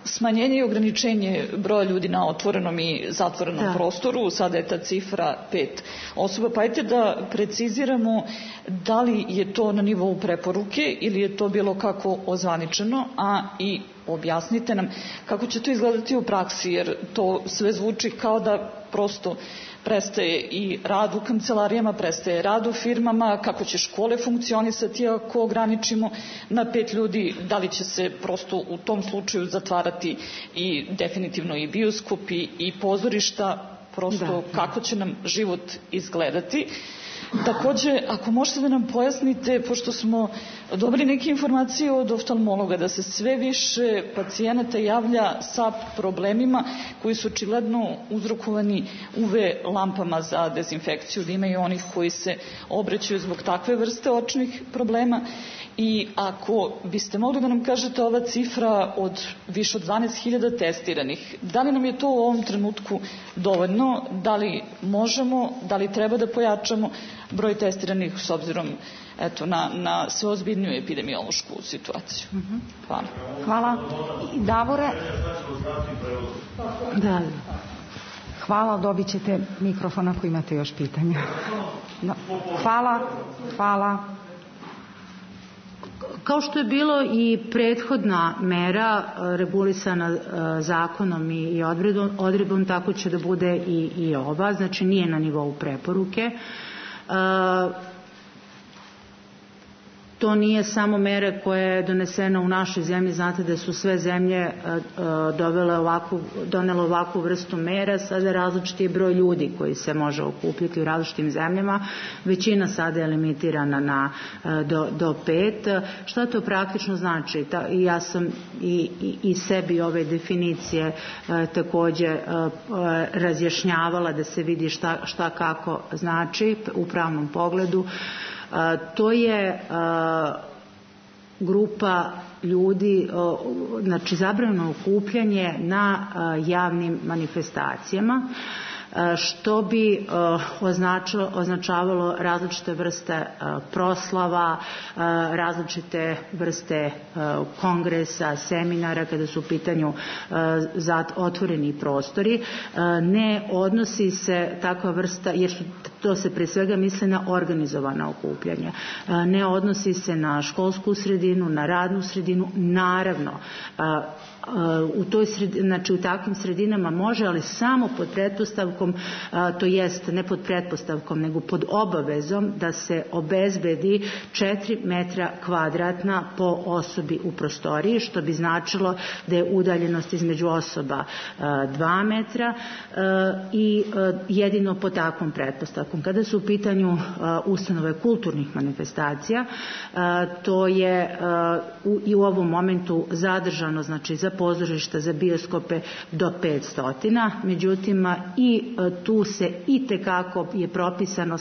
smanjenje i ograničenje broja ljudi na otvorenom i zatvorenom prostoru, sada je ta cifra 5 osoba, pa ajte da preciziramo da li je to na nivou preporuke ili je to bilo kako ozvaničeno, a i objasnite nam kako će to izgledati u praksi, jer to sve zvuči kao da prosto prestaje i rad u kancelarijama, prestaje rad u firmama, kako će škole funkcionisati ako ograničimo na 5 ljudi, da li će se prosto u tom slučaju zatvarati i definitivno i bioskopi i pozorišta, prosto kako će nam život izgledati. Takođe, ako možete da nam pojasnite, pošto smo dobili neke informacije od oftalmologa da se sve više pacijenata javlja sa problemima koji su očigledno uzrokovani UV lampama za dezinfekciju, da ima i onih koji se obraćaju zbog takve vrste očnih problema, i ako biste mogli da nam kažete ova cifra od više od 12.000 testiranih, da li nam je to u ovom trenutku dovoljno, da li možemo, da li treba da pojačamo broj testiranih s obzirom na sve ozbiljniju epidemiološku situaciju. Hvala. Hvala. Davore? Da. Hvala, dobit ćete mikrofon ako imate još pitanja. Hvala. Kao što je bilo i prethodna mera regulisana zakonom i odredbom, tako će da bude i ova, znači nije na nivou preporuke. To nije samo mera koja je donesena u našoj zemlji, znate da su sve zemlje donele ovakvu vrstu mera, sada različiti je broj ljudi koji se može okupiti u različitim zemljama, većina sada je limitirana do 5. Šta to praktično znači? Ja sam i sebi ove definicije takođe razjašnjavala da se vidi šta kako znači u pravnom pogledu. To je grupa ljudi, znači zabranjeno okupljanje na javnim manifestacijama, što bi označavalo različite vrste proslava, različite vrste kongresa, seminara kada su u pitanju otvoreni prostori. Ne odnosi se takva vrsta, jer to se pre svega misli na organizovana okupljanja. Ne odnosi se na školsku sredinu, na radnu sredinu, naravno. U takvim sredinama može, ali samo pod pretpostavkom, to jest ne pod pretpostavkom, nego pod obavezom da se obezbedi 4 metra kvadratna po osobi u prostoriji, što bi značilo da je udaljenost između osoba 2 metra i jedino pod takvom pretpostavkom. zakon. Kada su u pitanju ustanove kulturnih manifestacija, to je i u ovom momentu zadržano, znači za pozorišta, za bioskope do 500, međutim i tu se itekako je propisano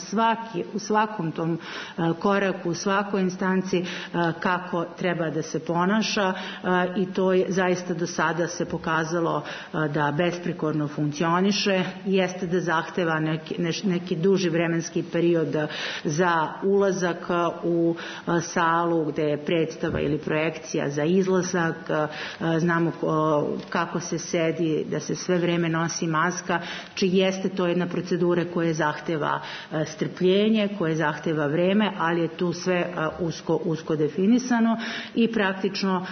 u svakom tom koraku, u svakoj instanci kako treba da se ponaša i to je zaista do sada se pokazalo da besprekorno funkcioniše, jeste da zahteva neki duži vremenski period za ulazak u salu gde je predstava ili projekcija, za izlazak, znamo kako se sedi, da se sve vreme nosi maska, či jeste to jedna procedura koja zahteva strpljenje, koja zahteva vreme, ali je tu sve usko definisano i praktično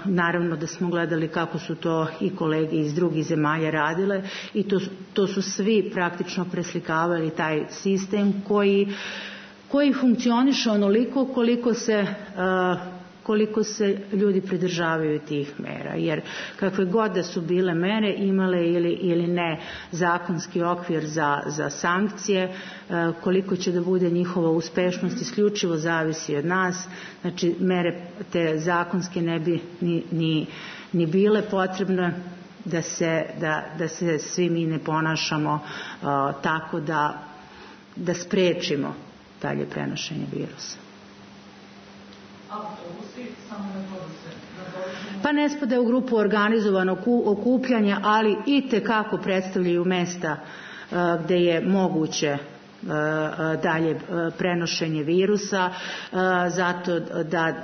naravno da smo gledali kako su to i kolege iz drugih zemalja radile i to su svi praktično preslikavali taj sistem koji funkcioniše onoliko koliko se ljudi pridržavaju tih mera, jer kakve god da su bile mere, imale ili ne zakonski okvir za sankcije, koliko će da bude njihova uspešnost isključivo zavisi od nas, znači mere te zakonske ne bi ni bile potrebne da se svi mi ne ponašamo tako da sprečimo dalje prenošenje virusa. Pa ne spada u grupu organizovanog okupljanja, ali itekako predstavljaju mesta gde je moguće dalje prenošenje virusa, zato da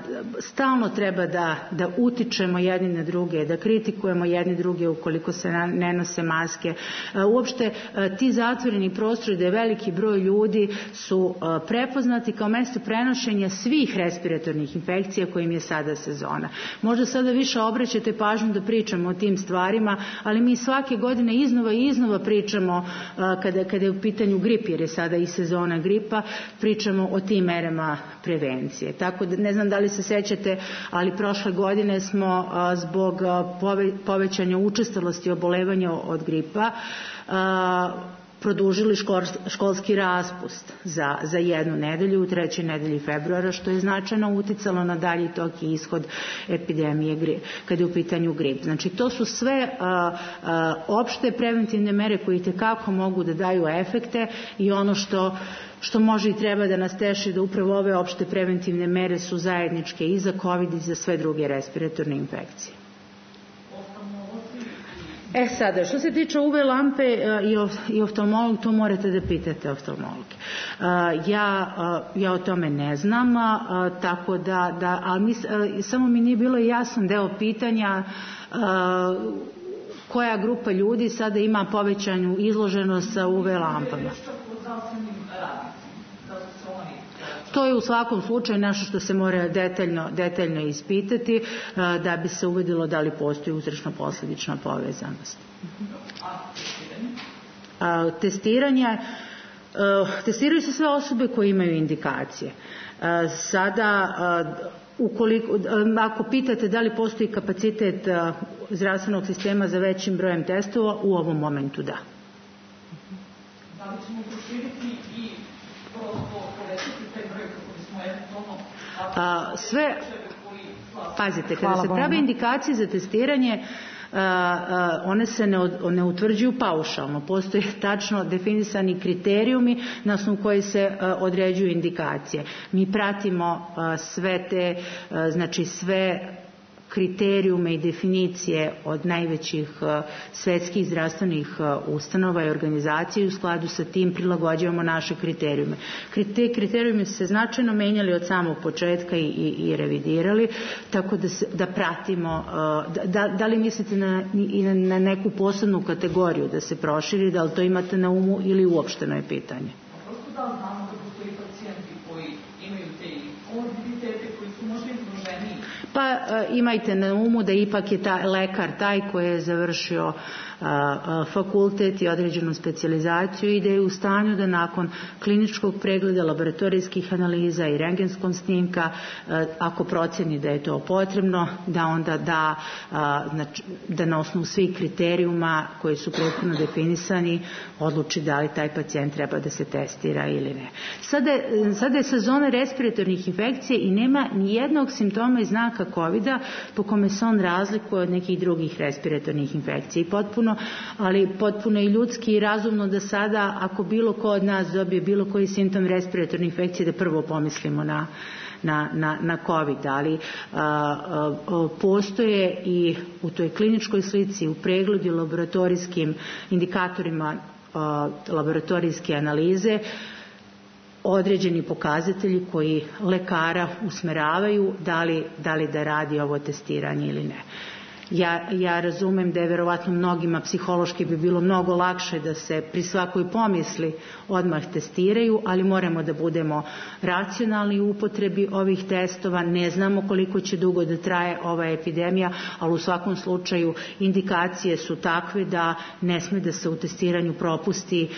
stalno treba da utičemo jedni na druge, da kritikujemo jedni druge ukoliko se ne nose maske. Uopšte ti zatvoreni prostori, da je veliki broj ljudi, su prepoznati kao mesto prenošenja svih respiratornih infekcija kojim je sada sezona. Možda sada više obraćate pažnju da pričamo o tim stvarima, ali mi svake godine iznova i iznova pričamo kada je u pitanju grip, jer je sada i sezona gripa, pričamo o tim merama prevencije. Tako da ne znam da li se sećate, ali prošle godine smo zbog povećanja učestalosti obolevanja od gripa produžili školski raspust za 1 nedelju u 3. nedelji februara, što je značajno uticalo na dalji tok i ishod epidemije kada je u pitanju grip. Znači, to su sve opšte preventivne mere koje itekako mogu da daju efekte i ono što može i treba da nas teši da upravo ove opšte preventivne mere su zajedničke i za COVID i za sve druge respiratorne infekcije. Sada, što se tiče UV lampe i oftalmolog, to morate da pitate oftalmologe. Ja o tome ne znam, tako ali samo mi nije bilo jasan deo pitanja koja grupa ljudi sada ima povećanju izloženost sa UV lampama. To je u svakom slučaju nešto što se mora detaljno ispitati da bi se uvidilo da li postoji uzročno-posledična povezanost. Testiraju se sve osobe koje imaju indikacije. Sada, ako pitate da li postoji kapacitet zdravstvenog sistema za većim brojem testova, u ovom momentu da. Da li ćemo proširiti i povećati taj broj kako bismo eventualno sve, pazite, kada se prave indikacije za testiranje, one se ne utvrđuju paušalno. Postoje tačno definisani kriterijumi na osnovu koji se određuju indikacije. Mi pratimo sve te, znači sve kriterijume i definicije od najvećih svetskih zdravstvenih ustanova i organizacija i u skladu sa tim prilagođavamo naše kriterijume. Te kriterijume su se značajno menjali od samog početka i revidirali, tako da pratimo, da li mislite na neku posebnu kategoriju da se proširi, da li to imate na umu ili uopšteno je pitanje? Prosto da znamo da postoji pacijenti koji imaju te komorbiditete, koji su možda izloženiji. Pa imajte na umu da ipak je lekar taj koji je završio fakultet i određenu specijalizaciju i da je u stanju da nakon kliničkog pregleda, laboratorijskih analiza i rentgenskog snimka, ako proceni da je to potrebno, da onda da na osnovu svih kriterijuma koji su prethodno definisani odluči da li taj pacijent treba da se testira ili ne. Sada je sezona respiratornih infekcija i nema ni jednog simptoma i znaka COVID-a po kome se on razlikuje od nekih drugih respiratornih infekcija. Ali potpuno i ljudski i razumno da sada, ako bilo ko od nas dobije bilo koji simptom respiratorne infekcije, da prvo pomislimo na COVID, ali postoje i u toj kliničkoj slici, u pregledu laboratorijskim indikatorima laboratorijske analize, određeni pokazatelji koji lekara usmeravaju da li da radi ovo testiranje ili ne. Ja razumem da je verovatno mnogima psihološki bi bilo mnogo lakše da se pri svakoj pomisli odmah testiraju, ali moramo da budemo racionalni u upotrebi ovih testova. Ne znamo koliko će dugo da traje ova epidemija, ali u svakom slučaju indikacije su takve da ne sme da se u testiranju propusti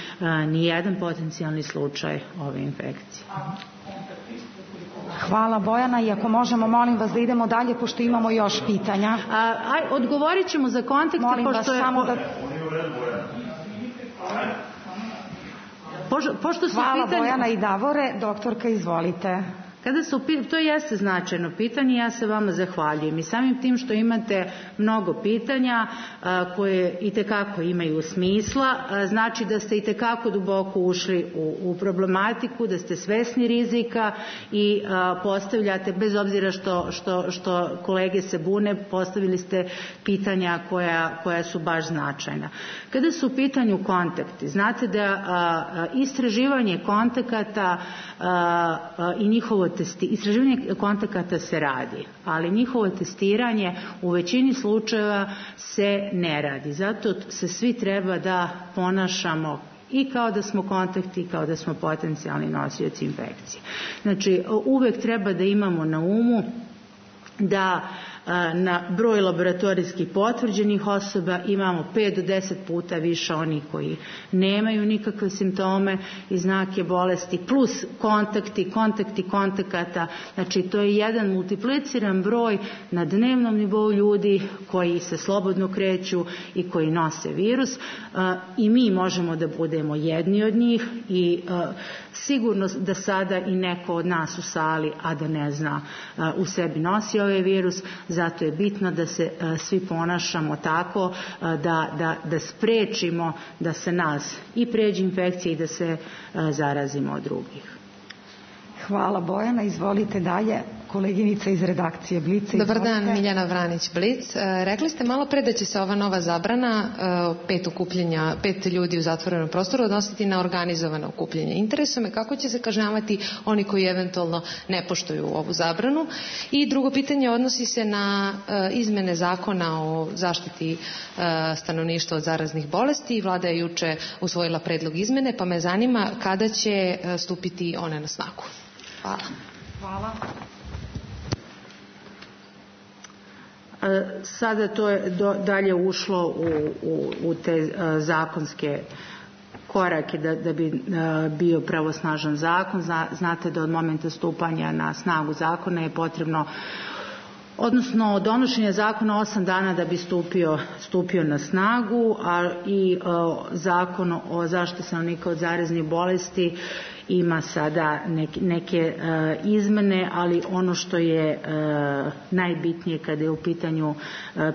ni jedan potencijalni slučaj ove infekcije. Hvala Bojana i ako možemo, molim vas da idemo dalje pošto imamo još pitanja. Odgovorit ćemo za kontakte. Molim vas samo da... Hvala Bojana i Davore. Doktorka, izvolite. To jeste značajno pitanje, ja se vama zahvaljujem i samim tim što imate mnogo pitanja koje itekako imaju smisla, znači da ste itekako duboko ušli u problematiku, da ste svesni rizika i postavljate, bez obzira što kolege se bune, postavili ste pitanja koja su baš značajna. Kada su u pitanju kontakti, znate da istraživanje kontakata i njihovo istraživanje kontakata se radi, ali njihovo testiranje u većini slučajeva se ne radi. Zato se svi treba da ponašamo i kao da smo kontakti, kao da smo potencijalni nosioci infekcije. Znači, uvek treba da imamo na umu da na broj laboratorijskih potvrđenih osoba imamo 5 do 10 puta više onih koji nemaju nikakve simptome i znake bolesti, plus kontakti kontakata. Znači, to je jedan multipliciran broj na dnevnom nivou ljudi koji se slobodno kreću i koji nose virus i mi možemo da budemo jedni od njih i sigurno da sada i neko od nas u sali, a da ne zna, u sebi nosi ovaj virus. Zato je bitno da se svi ponašamo tako da sprečimo da se nas i pređe infekcija i da se zarazimo od drugih. Hvala Bojana, izvolite dalje. Koleginica iz redakcije Blica. Dobar dan, Miljana Vranić, Blic. Rekli ste malo pre da će se ova nova zabrana 5 ljudi u zatvorenom prostoru odnositi na organizovano okupljanje. Interesuje me kako će se kažnjavati oni koji eventualno ne poštuju ovu zabranu. I drugo pitanje odnosi se na izmene zakona o zaštiti stanovništva od zaraznih bolesti. Vlada je juče usvojila predlog izmene, pa me zanima kada će stupiti one na snagu. Hvala. Hvala. Sada to je dalje ušlo u te zakonske korake da bi bio pravosnažan zakon. Znate da od momenta stupanja na snagu zakona je potrebno, odnosno donošenje zakona 8 dana da bi stupio na snagu, a i zakon o zaštiti stanovnika od zaraznih bolesti ima sada neke izmene, ali ono što je najbitnije kada je u pitanju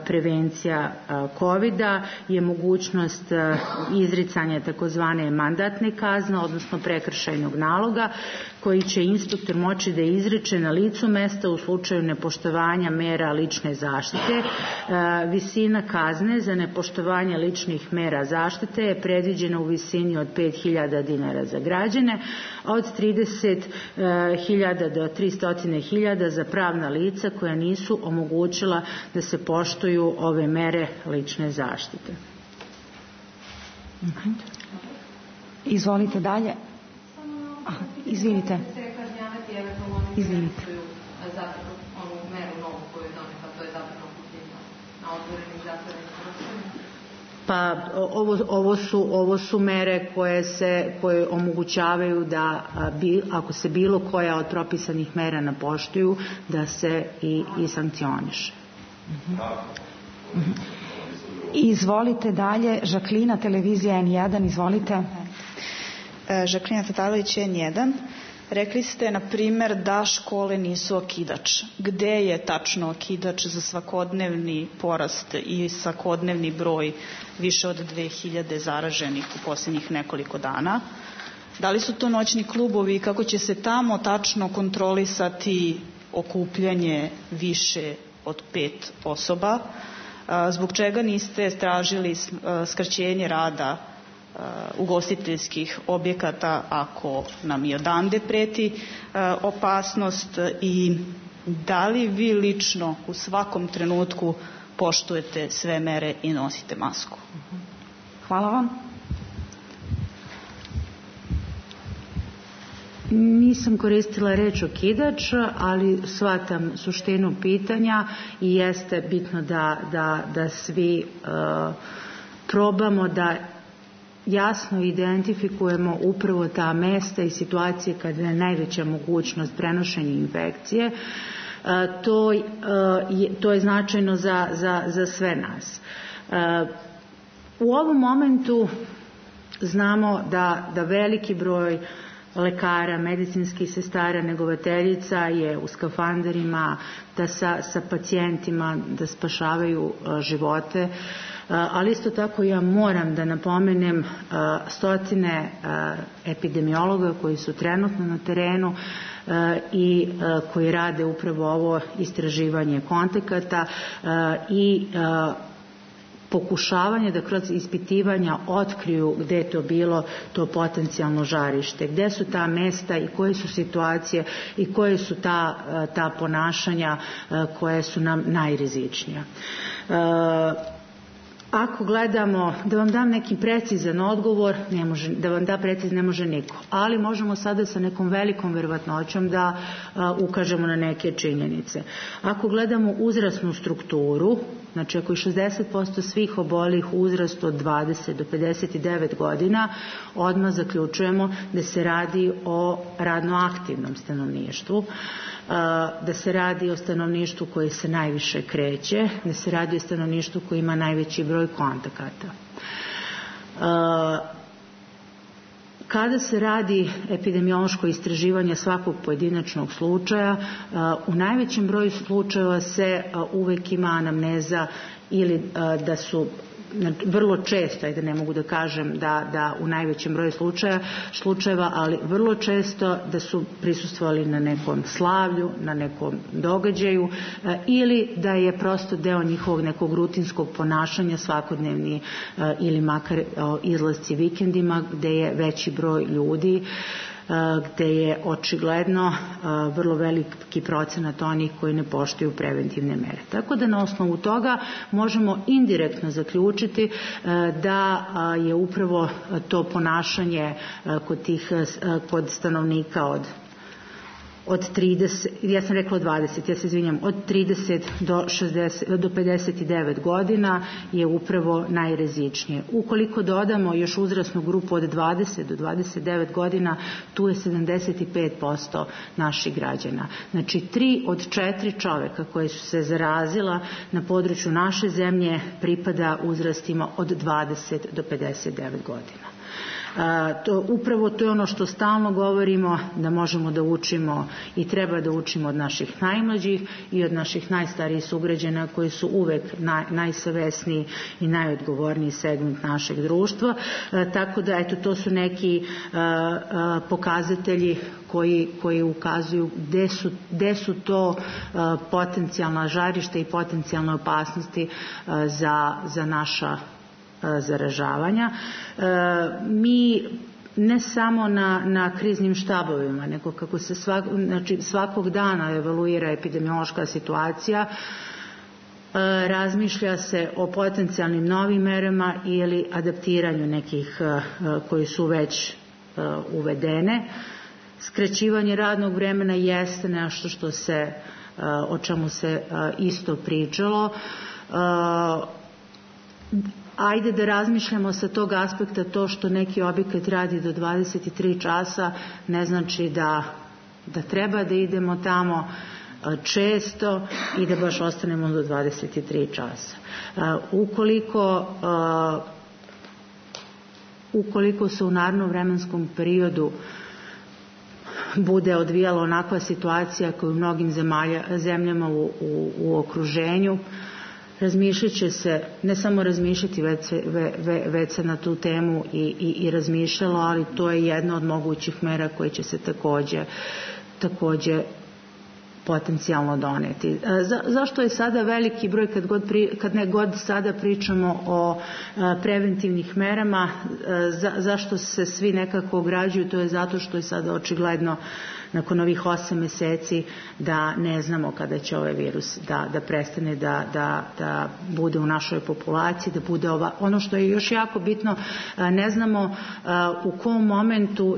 prevencija COVID-a je mogućnost izricanja takozvane mandatne kazne, odnosno prekršajnog naloga, koji će inspektor moći da izriče na licu mesta u slučaju nepoštovanja mera lične zaštite. Visina kazne za nepoštovanje ličnih mera zaštite je predviđena u visini od 5.000 dinara za građane, a od 30.000 do 300.000 za pravna lica koja nisu omogućila da se poštuju ove mere lične zaštite. Izvolite dalje. Izvinite. Pa ovo su mere koje omogućavaju da ako se bilo koja od propisanih mera ne poštuju, da se i sankcioniše. Izvolite dalje, Žaklina, televizija N1, izvolite. Žaklina Tatalović, N1. Rekli ste, na primer, da škole nisu okidač. Gde je tačno okidač za svakodnevni porast i svakodnevni broj više od 2000 zaraženih u posljednjih nekoliko dana? Da li su to noćni klubovi i kako će se tamo tačno kontrolisati okupljanje više od 5 osoba? Zbog čega niste tražili skraćenje rada ugostiteljskih objekata ako nam i odande preti opasnost, i da li vi lično u svakom trenutku poštujete sve mere i nosite masku? Hvala vam. Nisam koristila reč okidač, ali shvatam suštinu pitanja i jeste bitno da svi probamo da jasno identifikujemo upravo ta mesta i situacije kada je najveća mogućnost prenošenja infekcije. To je značajno za sve nas. U ovom momentu znamo da veliki broj lekara, medicinskih sestara, negovateljica je u skafanderima, da sa pacijentima da spašavaju živote, ali isto tako ja moram da napomenem stotine epidemiologa koji su trenutno na terenu i koji rade upravo ovo istraživanje kontakata i pokušavanje da kroz ispitivanja otkriju gde je to bilo to potencijalno žarište, gde su ta mesta i koje su situacije i koje su ta ponašanja koje su nam najrizičnija. Ako gledamo, da vam dam neki precizan odgovor, da vam da precizan ne može niko, ali možemo sada sa nekom velikom verovatnoćom da ukažemo na neke činjenice. Ako gledamo uzrasnu strukturu, znači ako je 60% svih obolih u uzrastu od 20 do 59 godina, odmah zaključujemo da se radi o radno aktivnom stanovništvu, da se radi o stanovništvu koje se najviše kreće, da se radi o stanovništvu koje ima najveći broj kontakata. Kada se radi epidemiološko istraživanje svakog pojedinačnog slučaja, u najvećem broju slučajeva se uvek ima anamneza ili da su vrlo često, ajde ne mogu da kažem da u najvećem broju slučajeva, ali vrlo često da su prisustvovali na nekom slavlju, na nekom događaju ili da je prosto deo njihovog nekog rutinskog ponašanja svakodnevni ili makar izlasci vikendima gde je veći broj ljudi, gde je očigledno vrlo veliki procenat onih koji ne poštuju preventivne mere. Tako da na osnovu toga možemo indirektno zaključiti da je upravo to ponašanje kod stanovnika od 30, ja sam rekla 20, ja se izvinjam, od 30 do 59 godina je upravo najrizičnije. Ukoliko dodamo još uzrasnu grupu od 20 do 29 godina, tu je 75% naših građana. Znači 3 od 4 čoveka koje su se zarazila na području naše zemlje pripada uzrastima od 20 do 59 godina. Upravo to je ono što stalno govorimo, da možemo da učimo i treba da učimo od naših najmlađih i od naših najstarijih sugrađana koji su uvek najsavesniji i najodgovorniji segment našeg društva. Tako da, eto, to su neki pokazatelji koji ukazuju gde su to potencijalna žarišta i potencijalne opasnosti za naša zaražavanja. Mi ne samo na kriznim štabovima, nego kako se svakog dana evaluira epidemiološka situacija, razmišlja se o potencijalnim novim merama ili adaptiranju nekih koji su već uvedene. Skraćivanje radnog vremena jeste nešto o čemu se isto pričalo. ajde da razmišljamo sa tog aspekta, to što neki objekat radi do 23 časa ne znači da treba da idemo tamo često i da baš ostanemo do 23 časa. Ukoliko se u narednom vremenskom periodu bude odvijala onakva situacija koja u mnogim zemljama u okruženju, razmišljat će se, ne samo razmišljati, već se na tu temu i razmišljalo, ali to je jedna od mogućih mera koje će se takođe potencijalno doneti. Zašto je sada veliki broj kad ne god sada pričamo o preventivnih merama, zašto se svi nekako ograđuju? To je zato što je sada očigledno nakon ovih 8 meseci da ne znamo kada će ovaj virus da prestane da bude u našoj populaciji, da bude ono što je još jako bitno, ne znamo u kom momentu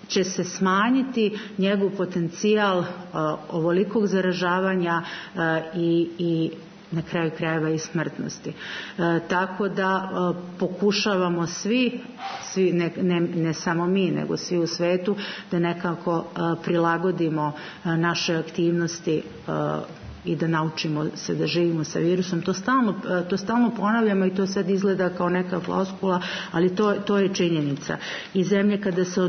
će se smanjiti njegov potencijal ovolikog zaražavanja i na kraju krajeva i smrtnosti. Tako da pokušavamo svi ne samo mi, nego svi u svetu, da nekako prilagodimo naše aktivnosti i da naučimo se da živimo sa virusom. To stalno ponavljamo i to sad izgleda kao neka floskula, ali to je činjenica. I zemlje kada se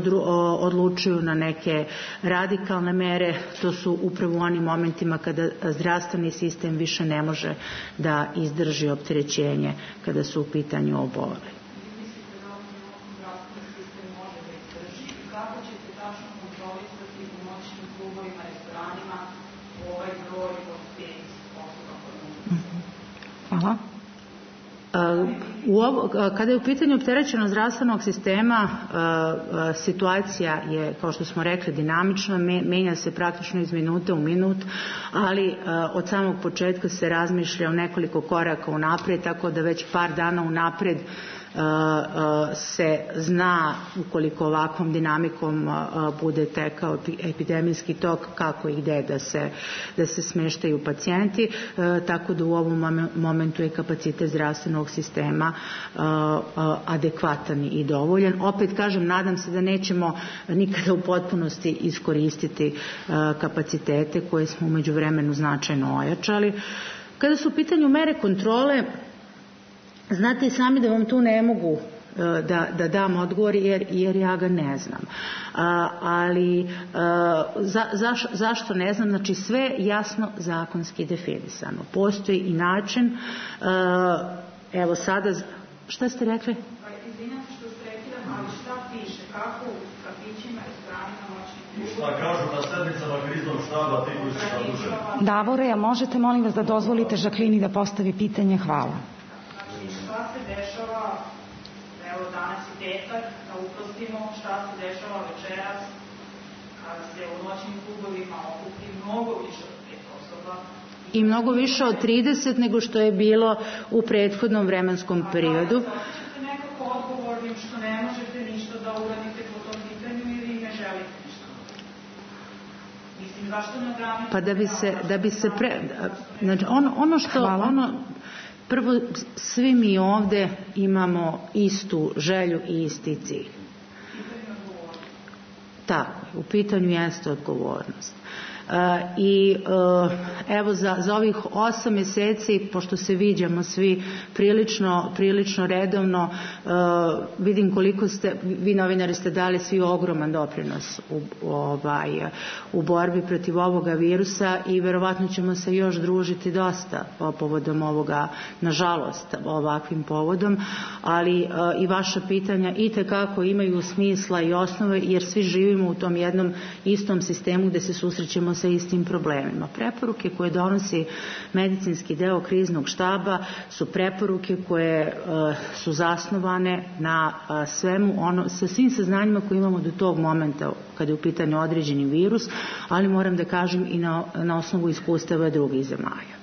odlučuju na neke radikalne mere, to su upravo u onim momentima kada zdravstveni sistem više ne može da izdrži opterećenje kada su u pitanju oboleli. Hvala. Kada je u pitanju opterećenost zdravstvenog sistema, situacija je, kao što smo rekli, dinamična, menja se praktično iz minute u minut, ali od samog početka se razmišlja o nekoliko koraka unapred, tako da već par dana unapred se zna, ukoliko ovakvom dinamikom bude tekao epidemijski tok, kako i gde da se smeštaju pacijenti, tako da u ovom momentu je kapacitet zdravstvenog sistema adekvatan i dovoljan. Opet kažem, nadam se da nećemo nikada u potpunosti iskoristiti kapacitete koje smo u međuvremenu značajno ojačali. Kada su u pitanju mere kontrole, znate i sami da vam tu ne mogu da dam odgovor jer ja ga ne znam. Ali zašto ne znam? Znači sve jasno zakonski definisano. Postoji i način, evo sada, šta ste rekli? Izvinjam se što ste rekli, ali šta piše, kako u kafićima, restoranima, noćnim klubovima? Šta kažu na sednicama kriznog štaba, ti koji su zaduženi? Davore, a možete molim vas da dozvolite Žaklini da postavi pitanje? Hvala. Šta se dešava, evo danas je petak, da uprostimo šta se dešava večeras, kada se u noćnim klubovima okupi mnogo više od 5 osoba. I mnogo više od 30 nego što je bilo u prethodnom vremenskom periodu. Da li ćete nekako odgovornim što ne možete ništa da uradite po tom pitanju ili ne želite ništa? Mislim, zašto ne ograničite? Pa da bi se znači ono što... Prvo, svi mi ovde imamo istu želju i isti cilj. Tako, u pitanju jeste odgovornost. I evo za ovih 8 meseci, pošto se viđamo svi prilično redovno, vidim koliko vi novinari ste dali svi ogroman doprinos u borbi protiv ovoga virusa i verovatno ćemo se još družiti dosta povodom ovoga, nažalost ovakvim povodom, ali i vaša pitanja itekako imaju smisla i osnove, jer svi živimo u tom jednom istom sistemu gde se susrećemo sa istim problemima. Preporuke koje donosi medicinski deo kriznog štaba su preporuke koje su zasnovane na sa svim saznanjima koje imamo do tog momenta kada je u pitanju određeni virus, ali moram da kažem i na osnovu iskustava drugih zemalja.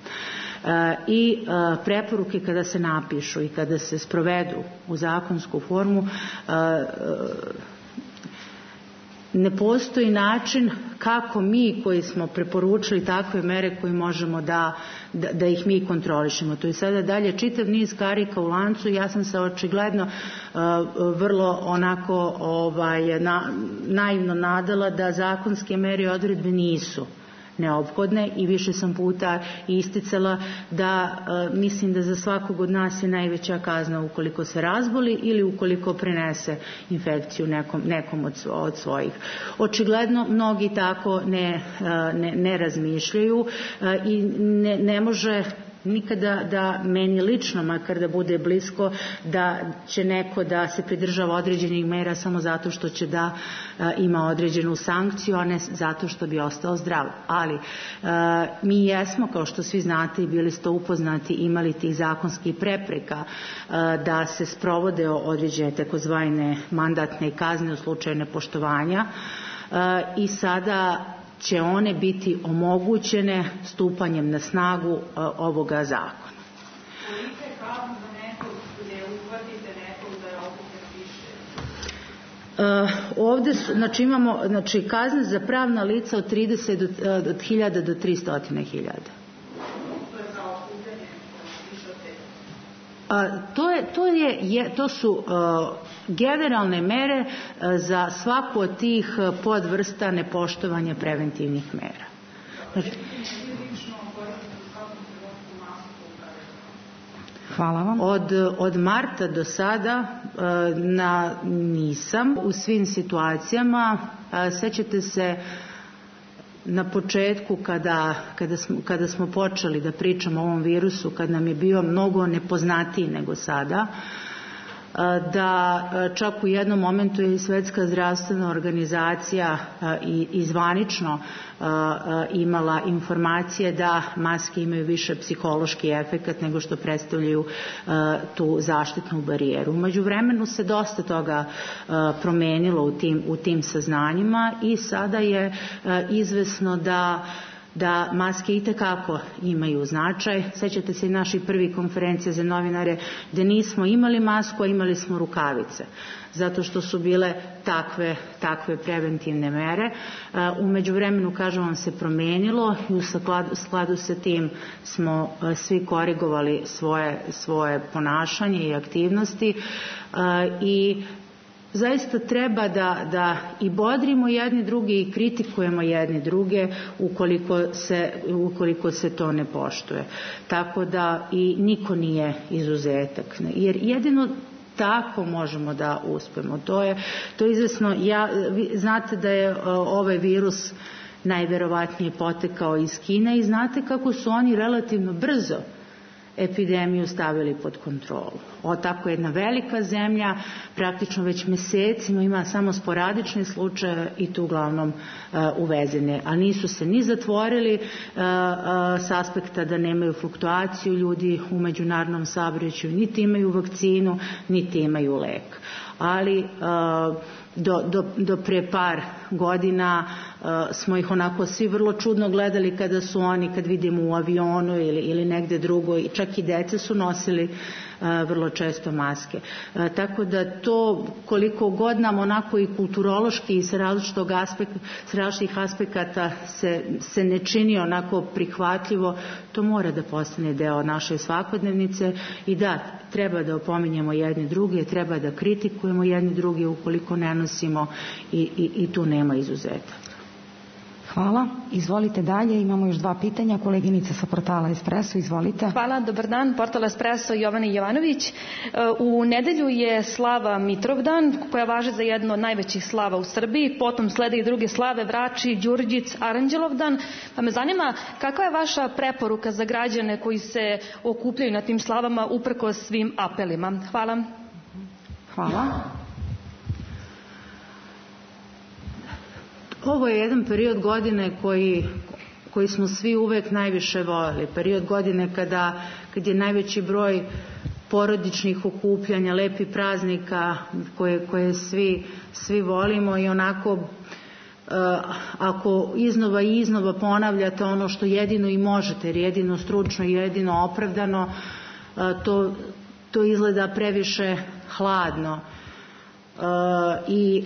I preporuke kada se napišu i kada se sprovedu u zakonsku formu ne postoji način kako mi koji smo preporučili takve mere koji možemo da ih mi kontrolišemo. To je sada dalje čitav niz karika u lancu. Ja sam se očigledno vrlo onako naivno nadala da zakonske mere i odredbe nisu neophodne i više sam puta isticala da mislim da za svakog od nas je najveća kazna ukoliko se razboli ili ukoliko prenese infekciju nekom od svojih. Očigledno mnogi tako ne razmišljaju i ne može nikada da meni lično, makar da bude blisko, da će neko da se pridržava određenih mera samo zato što će da ima određenu sankciju, a ne zato što bi ostao zdrav. Ali mi jesmo, kao što svi znate i bili ste upoznati, imali tih zakonskih prepreka da se sprovode određene takozvane mandatne kazne u slučaju nepoštovanja i sada će one biti omogućene stupanjem na snagu ovoga zakona. Kolika je kazna za nekog gdje uhvatite nekog da je opet više? Ovdje imamo kazne za pravna lica od 30.000 do 300.000. To su generalne mere za svaku od tih podvrsta nepoštovanja preventivnih mera. Hvala vam. Od marta do sada nisam u svim situacijama. Sećate se na početku kada smo počeli da pričamo o ovom virusu, kad nam je bio mnogo nepoznatiji nego sada, da čak u jednom momentu je i Svetska zdravstvena organizacija i zvanično imala informacije da maske imaju više psihološki efekat nego što predstavljaju tu zaštitnu barijeru. U međuvremenu se dosta toga promenilo u tim saznanjima i sada je izvesno da maske itekako imaju značaj. Sećate se i naših prvih konferencija za novinare gdje nismo imali masku, a imali smo rukavice, zato što su bile takve preventivne mere. U međuvremenu, kažem vam, se promenilo i u skladu sa tim smo svi korigovali svoje ponašanje i aktivnosti i zaista treba da i bodrimo jedni drugi i kritikujemo jedni druge ukoliko se to ne poštuje. Tako da i niko nije izuzetak. Jer jedino tako možemo da uspemo. To je izvesno. Znate da je ovaj virus najverovatnije potekao iz Kine i znate kako su oni relativno brzo epidemiju stavili pod kontrolu. Tako jedna velika zemlja praktično već mesecima ima samo sporadične slučaje i tu uglavnom uvezene. A nisu se ni zatvorili s aspekta da nemaju fluktuaciju ljudi u međunarodnom saobraćaju, niti imaju vakcinu, niti imaju lek. Ali do pre par godina smo ih onako svi vrlo čudno gledali kad vidimo u avionu ili negde drugo, i čak i deca su nosili vrlo često maske. Tako da to, koliko god nam onako i kulturološki i sa različitih aspekata se ne čini onako prihvatljivo, to mora da postane deo naše svakodnevnice i da, treba da opominjemo jedni druge, treba da kritikujemo jedni druge ukoliko ne nosimo i tu nema izuzetka. Hvala. Izvolite dalje. Imamo još 2 pitanja. Koleginica sa portala Espresso, izvolite. Hvala, dobar dan. Portal Espresso, Jovana Jovanović. U nedelju je slava Mitrovdan, koja važe za jedno od najvećih slava u Srbiji. Potom slede i druge slave, Vrači, Đurđic, Aranđelovdan. Pa me zanima, kakva je vaša preporuka za građane koji se okupljaju na tim slavama uprkos svim apelima? Hvala. Hvala. Ovo je jedan period godine koji smo svi uvek najviše voljeli. Period godine kad je najveći broj porodičnih okupljanja, lepih praznika koje svi volimo i onako ako iznova i iznova ponavljate ono što jedino i možete, jer jedino stručno i jedino opravdano, to izgleda previše hladno. I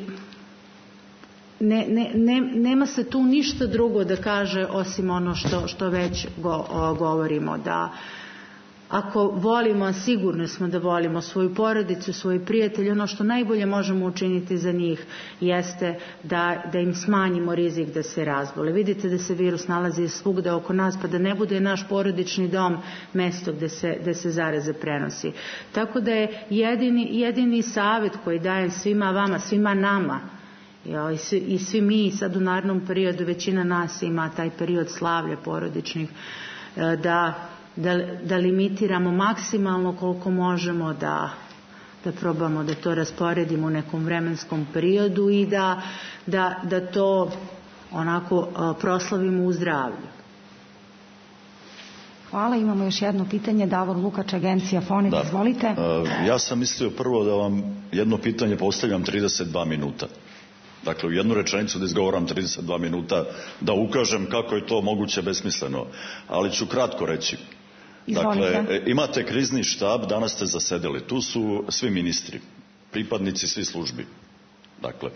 nema se tu ništa drugo da kaže osim ono što već govorimo, da ako volimo, a sigurno smo da volimo svoju porodicu, svoje prijatelje, ono što najbolje možemo učiniti za njih jeste da im smanjimo rizik da se razbole. Vidite da se virus nalazi svugde oko nas, pa da ne bude naš porodični dom mesto gde se zaraza prenosi. Tako da je jedini savjet koji dajem svima vama, svima nama, i svi mi sad u narednom periodu, većina nas ima taj period slavlja porodičnih, da limitiramo maksimalno koliko možemo, da probamo da to rasporedimo u nekom vremenskom periodu i da to onako proslavimo u zdravlju. Hvala, imamo još jedno pitanje. Davor Lukač, agencija Fonet, izvolite. Ja sam mislio prvo da vam jedno pitanje postavljam 32 minuta. Dakle, u jednu rečenicu da izgovoram 32 minuta, da ukažem kako je to moguće besmisleno. Ali ću kratko reći. Dakle, imate krizni štab, danas ste zasedeli. Tu su svi ministri, pripadnici svih službi. Dakle,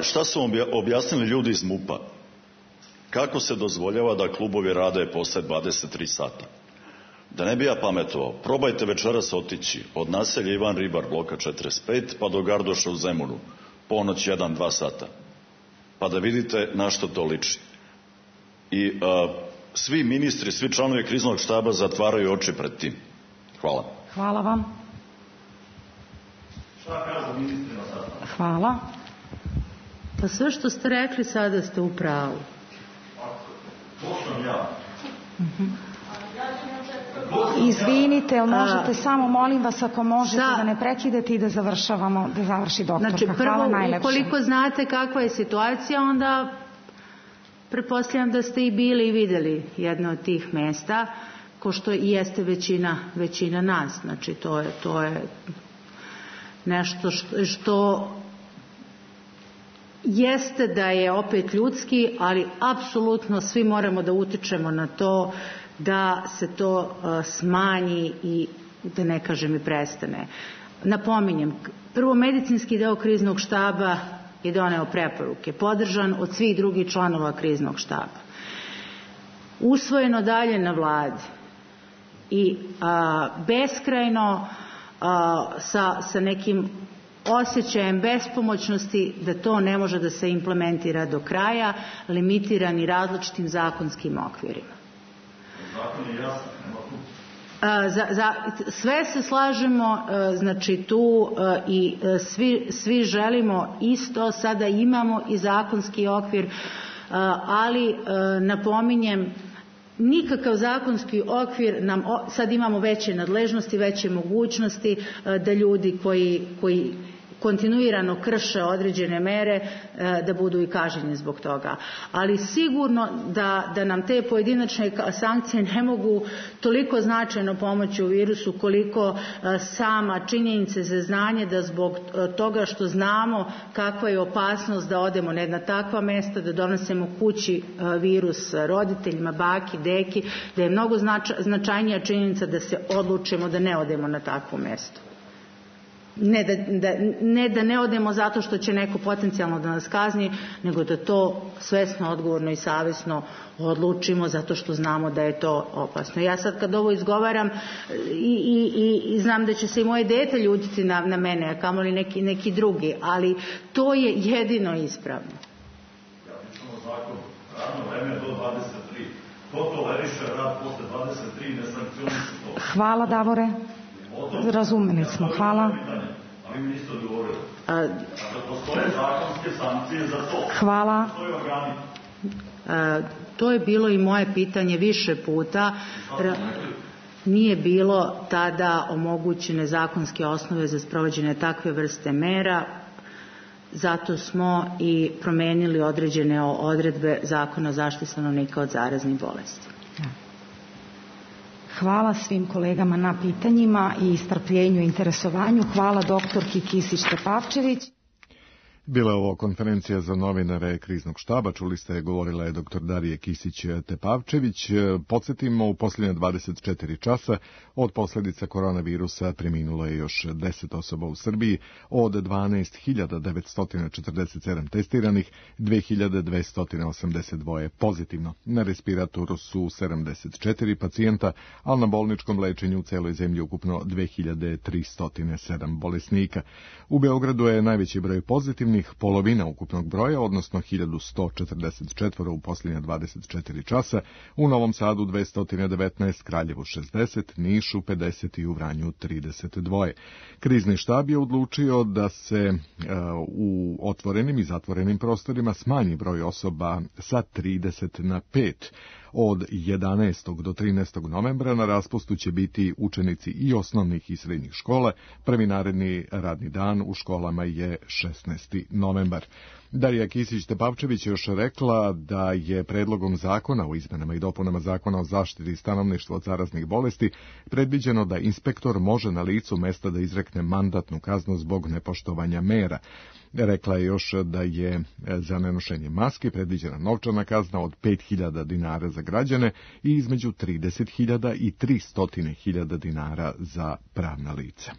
šta su objasnili ljudi iz MUP-a? Kako se dozvoljava da klubovi rade posle 23 sata? Da ne bi ja pametovao, probajte večeras otići od naselja Ivan Ribar, bloka 45, pa do Gardoša u Zemunu, ponoć 1-2 sata, pa da vidite na što to liči. I svi ministri, svi članovi kriznog štaba zatvaraju oči pred tim. Hvala. Hvala vam. Šta kažu ministrima sada? Hvala. Pa sve što ste rekli sada ste u pravu. To sam ja. Izvinite, ali možete samo, molim vas, ako možete da ne prekidete i da završavamo, da završi doktorka. Znači, prvo, ukoliko znate kakva je situacija, onda pretpostavljam da ste i bili i videli jedno od tih mesta, ko što i jeste većina nas. Znači, to je nešto što jeste da je opet ljudski, ali apsolutno svi moramo da utičemo na to da se to smanji i da ne kažem i prestane. Napominjem, prvo medicinski deo kriznog štaba je doneo preporuke, podržan od svih drugih članova kriznog štaba. Usvojeno dalje na vladi i beskrajno sa nekim osjećajem bespomoćnosti da to ne može da se implementira do kraja, limitirani različitim zakonskim okvirima. Zakon je jasan, nema tu. Sve se slažemo, znači tu i svi želimo isto, sada imamo i zakonski okvir, ali napominjem, nikakav zakonski okvir sad imamo veće nadležnosti, veće mogućnosti da ljudi koji kontinuirano krše određene mere da budu i kažnjeni zbog toga. Ali sigurno da nam te pojedinačne sankcije ne mogu toliko značajno pomoći u virusu koliko sama činjenica za znanje da zbog toga što znamo kakva je opasnost da odemo na jedna takva mesta, da donesemo kući virus roditeljima, baki, deki, da je mnogo značajnija činjenica da se odlučimo da ne odemo na takvo mesto. Ne da ne odemo zato što će neko potencijalno da nas kazni, nego da to svesno, odgovorno i savjesno odlučimo zato što znamo da je to opasno. Ja sad kad ovo izgovaram i znam da će se i moje dete ljutiti na mene, a kamoli neki drugi, ali to je jedino ispravno. Ja pričam o zakonu. Radno vreme do 23. Ko toleriše rad posle 23 ne sankcioniše to. Hvala, Davore. Razumeli smo. Hvala. Ali mi niste odgovorili. Postoje zakonske sankcije za to. Hvala. Postoje organi. To je bilo i moje pitanje više puta. Nije bilo tada omogućene zakonske osnove za sprovođenje takve vrste mera. Zato smo i promenili određene odredbe Zakona o zaštiti stanovnika od zaraznih bolesti. Hvala svim kolegama na pitanjima i strpljenju i interesovanju. Hvala doktorki Kisić Tepavčević. Bila je ovo konferencija za novinare kriznog štaba, čuli ste, govorila je dr. Darija Kisić-Tepavčević. Podsjetimo, u posljednje 24 časa od posljedica koronavirusa preminulo je još 10 osoba u Srbiji, od 12.947 testiranih, 2.282 pozitivno. Na respiratoru su 74 pacijenta, a na bolničkom lečenju u celoj zemlji ukupno 2.307 bolesnika. U Beogradu je najveći broj pozitivnih, polovina ukupnog broja, odnosno 1144 u posljednje 24 časa, u Novom Sadu 219, Kraljevu 60, Nišu 50 i u Vranju 32. Krizni štab je odlučio da se u otvorenim i zatvorenim prostorima smanji broj osoba sa 30 na 5. Od 11. do 13. novembra na raspustu će biti učenici i osnovnih i srednjih škola. Prvi naredni radni dan u školama je 16. novembar. Darija Kisić-Tepavčević još rekla da je predlogom zakona o izmenama i dopunama zakona o zaštiti stanovništva od zaraznih bolesti predviđeno da inspektor može na licu mesta da izrekne mandatnu kaznu zbog nepoštovanja mera. Rekla je još da je za nenošenje maske predviđena novčana kazna od 5.000 dinara za građane i između 30.000 i 300.000 dinara za pravna lica.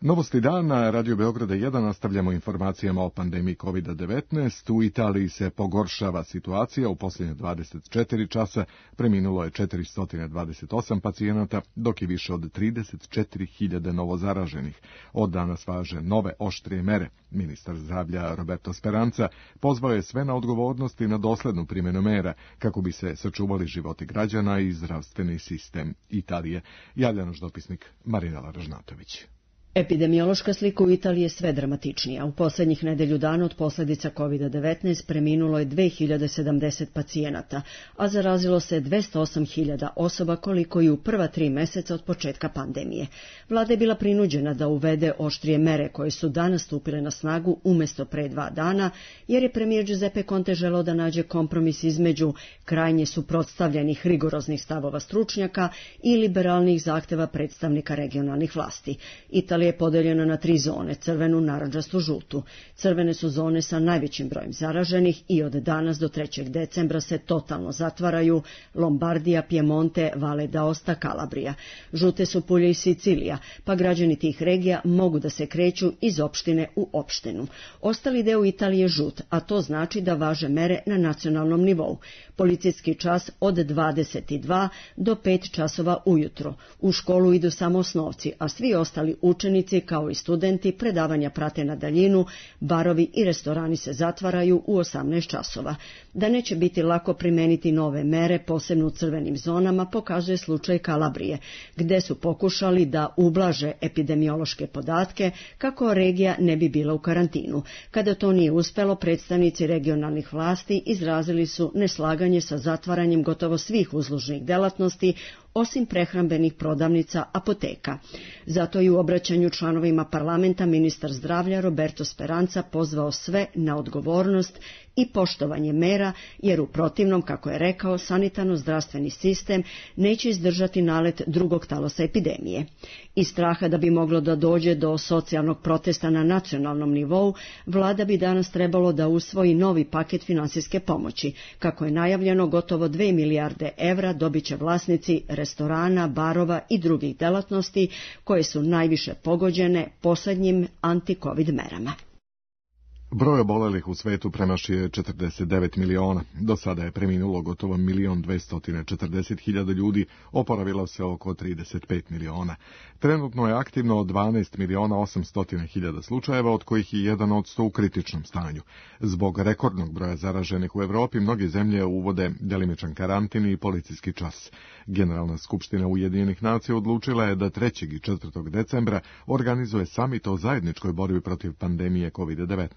Novosti dana, Radio Beograda 1, nastavljamo informacijama o pandemiji COVID-19. U Italiji se pogoršava situacija. U posljednje 24 časa preminulo je 428 pacijenata, dok je više od 34.000 novozaraženih. Od danas važe nove oštrije mere. Ministar zdravlja Roberto Speranza pozvao je sve na odgovornost i na doslednu primjenu mera kako bi se sačuvali životi građana i zdravstveni sistem Italije. Javlja naš dopisnik Marinela Ražnatović. Epidemiološka slika u Italiji je sve dramatičnija. U posljednjih nedelju dana od posljedica COVID-19 preminulo je 2070 pacijenata, a zarazilo se 208.000 osoba koliko i u prva 3 mjeseca od početka pandemije. Vlada je bila prinuđena da uvede oštrije mere koje su danas stupile na snagu umjesto pre 2 dana, jer je premijer Giuseppe Conte želeo da nađe kompromis između krajnje suprotstavljenih rigoroznih stavova stručnjaka i liberalnih zahteva predstavnika regionalnih vlasti. Italija je podeljena na 3 zone, crvenu, narandžastu, žutu. Crvene su zone sa najvećim brojem zaraženih i od danas do 3. decembra se totalno zatvaraju Lombardija, Piemonte, Valle d'Aosta, Kalabrija. Žute su Pulje i Sicilija, pa građani tih regija mogu da se kreću iz opštine u opštinu. Ostali deo Italije je žut, a to znači da važe mere na nacionalnom nivou. Policijski čas od 22 do 5 časova ujutro. U školu idu samo osnovci, a svi ostali učenici kao i studenti predavanja prate na daljinu, barovi i restorani se zatvaraju u 18 časova. Da neće biti lako primeniti nove mere, posebno u crvenim zonama, pokazuje slučaj Kalabrije, gde su pokušali da ublaže epidemiološke podatke kako regija ne bi bila u karantinu. Kada to nije uspelo, predstavnici regionalnih vlasti izrazili su neslaganje sa zatvaranjem gotovo svih uslužnih delatnosti, osim prehrambenih prodavnica, apoteka. Zato i u obraćanju članovima parlamenta ministar zdravlja Roberto Speranza pozvao sve na odgovornost i poštovanje mera, jer u protivnom, kako je rekao, sanitarno-zdravstveni sistem neće izdržati nalet drugog talosa epidemije. Iz straha da bi moglo da dođe do socijalnog protesta na nacionalnom nivou, vlada bi danas trebalo da usvoji novi paket finansijske pomoći. Kako je najavljeno, gotovo 2 milijarde evra dobit će vlasnici restorana, barova i drugih delatnosti koje su najviše pogođene posljednjim anti-covid merama. Broj obolelih u svetu premašio je 49 miliona. Do sada je preminulo gotovo 1.240.000 ljudi, oporavilo se oko 35 miliona. Trenutno je aktivno 12.800.000 slučajeva, od kojih je 1 od 100 u kritičnom stanju. Zbog rekordnog broja zaraženih u Evropi, mnoge zemlje uvode delimičan karantin i policijski čas. Generalna skupština Ujedinjenih nacija odlučila je da 3. i 4. decembra organizuje samit o zajedničkoj borbi protiv pandemije COVID-19.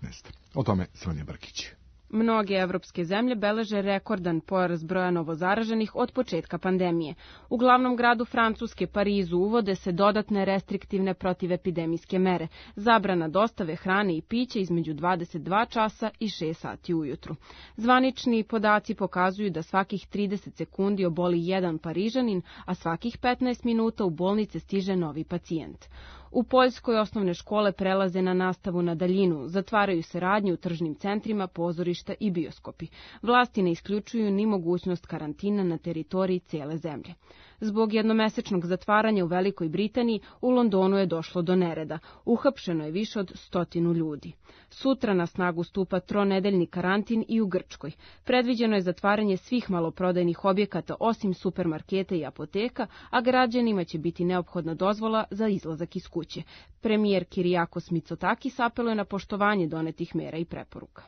O tome Sonja Brkić. Mnoge evropske zemlje beleže rekordan porast broja novozaraženih od početka pandemije. U glavnom gradu Francuske, Parizu, uvode se dodatne restriktivne protivepidemijske mere, zabrana dostave hrane i pića između 22 časa i 6 sati ujutru. Zvanični podaci pokazuju da svakih 30 sekundi oboli jedan Parižanin, a svakih 15 minuta u bolnice stiže novi pacijent. U Poljskoj osnovne škole prelaze na nastavu na daljinu, zatvaraju se radnje u tržnim centrima, pozorišta i bioskopi. Vlasti ne isključuju ni mogućnost karantina na teritoriji cijele zemlje. Zbog jednomesečnog zatvaranja u Velikoj Britaniji u Londonu je došlo do nereda. Uhapšeno je više od 100 ljudi. Sutra na snagu stupa tronedeljni karantin i u Grčkoj. Predviđeno je zatvaranje svih maloprodajnih objekata osim supermarketa i apoteka, a građanima će biti neophodna dozvola za izlazak iz kuće. Premijer Kyriakos Mitsotakis apeluje na poštovanje donetih mera i preporuka.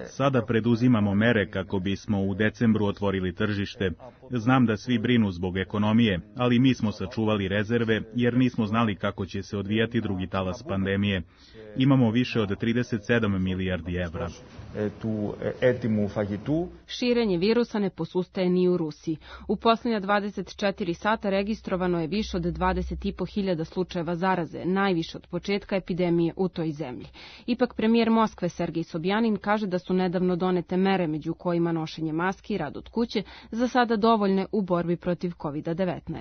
Sada preduzimamo mere kako bismo u decembru otvorili tržište. Znam da svi brinu zbog ekonomije, ali mi smo sačuvali rezerve jer nismo znali kako će se odvijati drugi talas pandemije. Imamo više od 37 milijardi evra. Širenje virusa ne posustaje ni u Rusiji. U posljednja 24 sata registrovano je više od 20.500 slučajeva zaraze, najviše od početka epidemije u toj zemlji. Ipak premijer Moskve Sergej Sobjanin kaže da su nedavno donete mere, među kojima nošenje maski i rad od kuće, za sada dovoljne u borbi protiv COVID-19.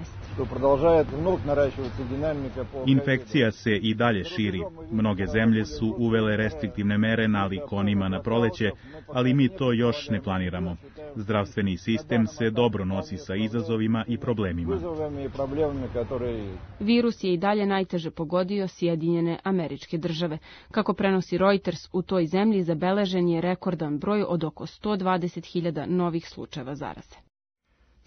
Infekcija se i dalje širi. Mnoge zemlje su uvele restriktivne mere nalik onima na proleće, ali mi to još ne planiramo. Zdravstveni sistem se dobro nosi sa izazovima i problemima. Virus je i dalje najteže pogodio Sjedinjene Američke Države. Kako prenosi Reuters, u toj zemlji zabeležen je rekordan broj od oko 120.000 novih slučajeva zaraze.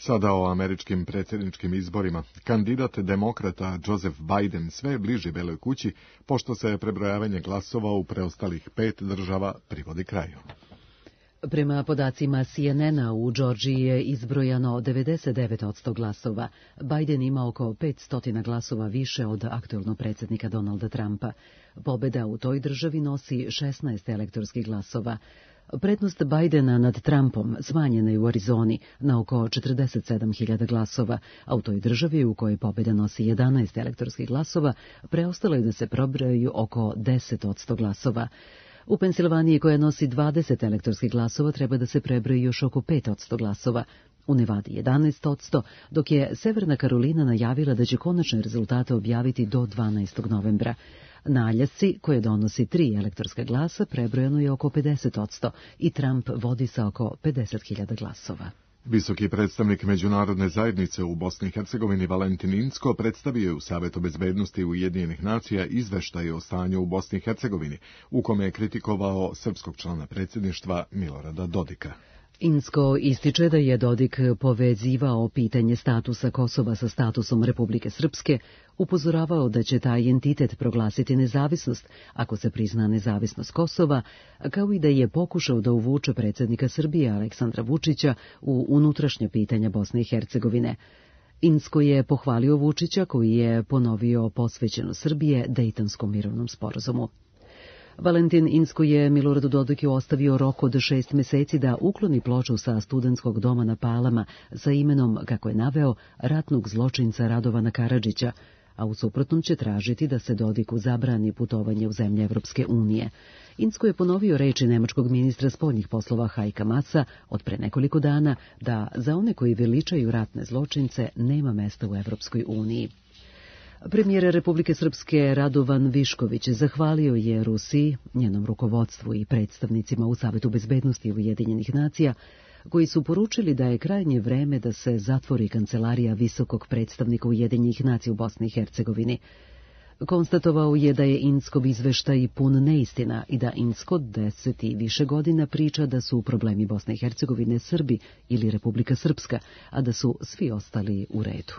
Sada o američkim predsjedničkim izborima. Kandidat demokrata Joseph Biden sve je bliži Beloj kući, pošto se prebrojavanje glasova u preostalih 5 država privodi kraju. Prema podacima CNN-a u Džordžiji je izbrojano 99% glasova. Biden ima oko 500 glasova više od aktuelnog predsjednika Donalda Trumpa. Pobjeda u toj državi nosi 16 elektorskih glasova. Prednost Bidena nad Trumpom smanjena je u Arizoni na oko 47.000 glasova, a u toj državi u kojoj pobjeda nosi 11 elektorskih glasova, preostalo je da se probrojaju oko 10% glasova. U Pensilvaniji, koja nosi 20 elektorskih glasova, treba da se prebroji još oko 5% glasova. U Nevadi 11%, dok je Severna Karolina najavila da će konačne rezultate objaviti do 12. novembra. Na Aljasci, koje donosi 3 elektorska glasa, prebrojano je oko 50% i Trump vodi sa oko 50.000 glasova. Visoki predstavnik međunarodne zajednice u Bosni i Hercegovini Valentin Incko predstavio je u Savetu bezbednosti Ujedinjenih nacija izveštaj o stanju u Bosni i Hercegovini, u kome je kritikovao srpskog člana predsjedništva Milorada Dodika. Incko ističe da je Dodik povezivao pitanje statusa Kosova sa statusom Republike Srpske, upozoravao da će taj entitet proglasiti nezavisnost ako se prizna nezavisnost Kosova, kao i da je pokušao da uvuče predsjednika Srbije Aleksandra Vučića u unutrašnja pitanja Bosne i Hercegovine. Incko je pohvalio Vučića koji je ponovio posvećenost Srbije Dejtonskom mirovnom sporazumu. Valentin Incko je Miloradu Dodiku ostavio rok od 6 meseci da ukloni ploču sa studentskog doma na Palama sa imenom, kako je naveo, ratnog zločinca Radovana Karadžića, a u suprotnom će tražiti da se Dodiku zabrani putovanje u zemlje Evropske unije. Incko je ponovio reči nemačkog ministra spoljnih poslova Heika Maasa od pre nekoliko dana da za one koji veličaju ratne zločince nema mesta u Evropskoj uniji. Premijer Republike Srpske Radovan Višković zahvalio je Rusiji, njenom rukovodstvu i predstavnicima u Savetu bezbednosti Ujedinjenih nacija, koji su poručili da je krajnje vreme da se zatvori kancelarija visokog predstavnika Ujedinjenih nacija u Bosni i Hercegovini. Konstatovao je da je Inckov izveštaj pun neistina i da Incko 10 i više godina priča da su problemi Bosne i Hercegovine Srbi ili Republika Srpska, a da su svi ostali u redu.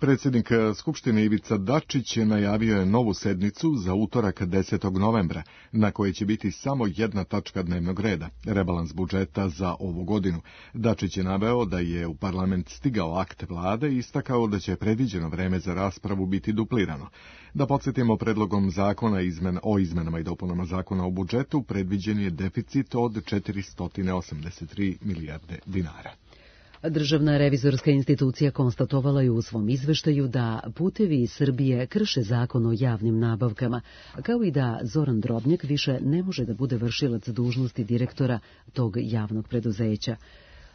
Predsjednik Skupštine Ivica Dačić najavio je novu sednicu za utorak 10. novembra, na kojoj će biti samo jedna tačka dnevnog reda, rebalans budžeta za ovu godinu. Dačić je naveo da je u parlament stigao akt vlade i istakao da će predviđeno vreme za raspravu biti duplirano. Da podsjetimo, predlogom zakona o izmenama i dopunama zakona o budžetu predviđen je deficit od 483 milijarde dinara. Državna revizorska institucija konstatovala je u svom izveštaju da Putevi Srbije krše zakon o javnim nabavkama, kao i da Zoran Drobnjak više ne može da bude vršilac dužnosti direktora tog javnog preduzeća.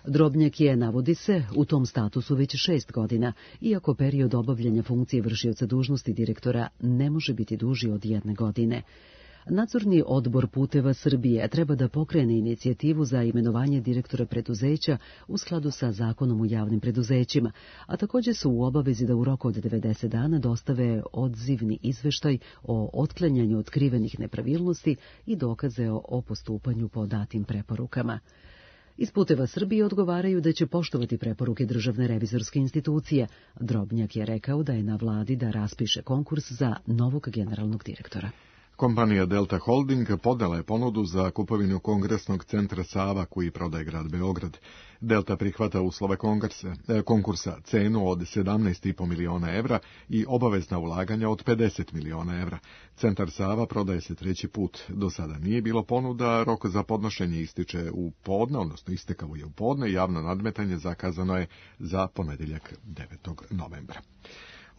Drobnjak je, navodi se, u tom statusu već 6 godina, iako period obavljanja funkcije vršioca dužnosti direktora ne može biti duži od 1 godine. Nadzorni odbor Puteva Srbije treba da pokrene inicijativu za imenovanje direktora preduzeća u skladu sa Zakonom o javnim preduzećima, a također su u obavezi da u roku od 90 dana dostave odzivni izveštaj o otklanjanju otkrivenih nepravilnosti i dokaze o postupanju po datim preporukama. Iz Puteva Srbije odgovaraju da će poštovati preporuke Državne revizorske institucije. Drobnjak je rekao da je na vladi da raspiše konkurs za novog generalnog direktora. Kompanija Delta Holding podnela je ponudu za kupovinu Kongresnog centra Sava koji prodaje grad Beograd. Delta prihvata uslove konkursa, cenu od 17,5 miliona evra i obavezna ulaganja od 50 miliona evra. Centar Sava prodaje se 3. put. Do sada nije bilo ponuda, rok za podnošenje ističe u podne, odnosno istekao je u podne, javno nadmetanje zakazano je za ponedjeljak 9. novembra.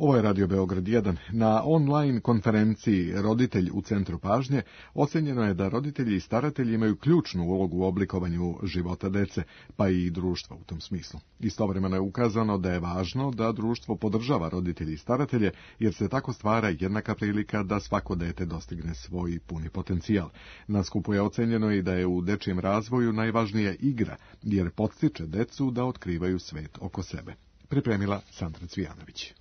Ovo je Radio Beograd 1. Na online konferenciji Roditelj u centru pažnje ocenjeno je da roditelji i staratelji imaju ključnu ulogu u oblikovanju života dece, pa i društva u tom smislu. Istovremeno je ukazano da je važno da društvo podržava roditelji i staratelje, jer se tako stvara jednaka prilika da svako dete dostigne svoj puni potencijal. Na skupu je ocenjeno i da je u dečijem razvoju najvažnija igra, jer podstiče decu da otkrivaju svet oko sebe. Pripremila Sandra Cvijanović.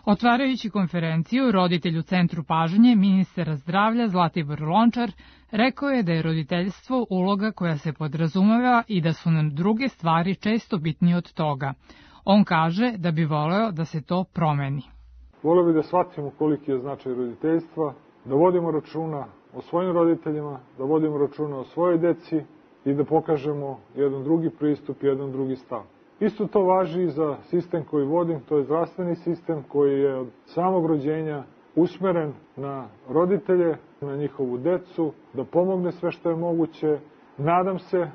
Otvarajući konferenciju Roditelj u centru pažnje, ministar zdravlja Zlatibor Lončar rekao je da je roditeljstvo uloga koja se podrazumeva i da su nam druge stvari često bitnije od toga. On kaže da bi voleo da se to promeni. Voleo bi da shvatimo koliki je značaj roditeljstva, da vodimo računa o svojim roditeljima, da vodimo računa o svojoj deci i da pokažemo jedan drugi pristup, jedan drugi stav. Isto to važi i za sistem koji vodim, to je zdravstveni sistem koji je od samog rođenja usmeren na roditelje, na njihovu decu, da pomogne sve što je moguće. Nadam se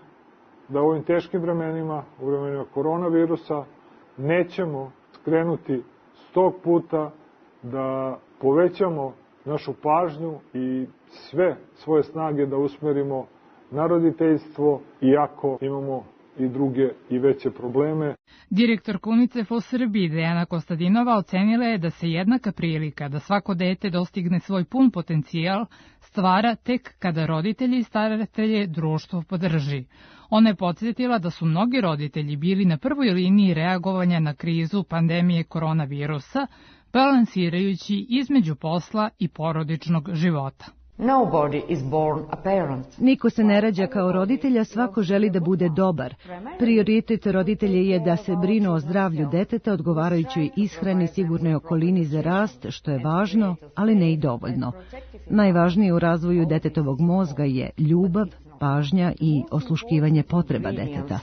da u ovim teškim vremenima, u vremenima koronavirusa, nećemo skrenuti s tog puta, da povećamo našu pažnju i sve svoje snage da usmerimo na roditeljstvo, iako imamo i druge i veće probleme. Direktorka UNICEF u Srbiji Dejana Kostadinova ocenila je da se jednaka prilika da svako dete dostigne svoj pun potencijal stvara tek kada roditelji i staratelje društvo podrži. Ona je podsjetila da su mnogi roditelji bili na prvoj liniji reagovanja na krizu pandemije koronavirusa, balansirajući između posla i porodičnog života. Niko se ne rađa kao roditelja, svako želi da bude dobar. Prioritet roditelja je da se brinu o zdravlju deteta, odgovarajućoj ishrani, sigurnoj okolini za rast, što je važno, ali ne i dovoljno. Najvažnije u razvoju detetovog mozga je ljubav, pažnja i osluškivanje potreba deteta.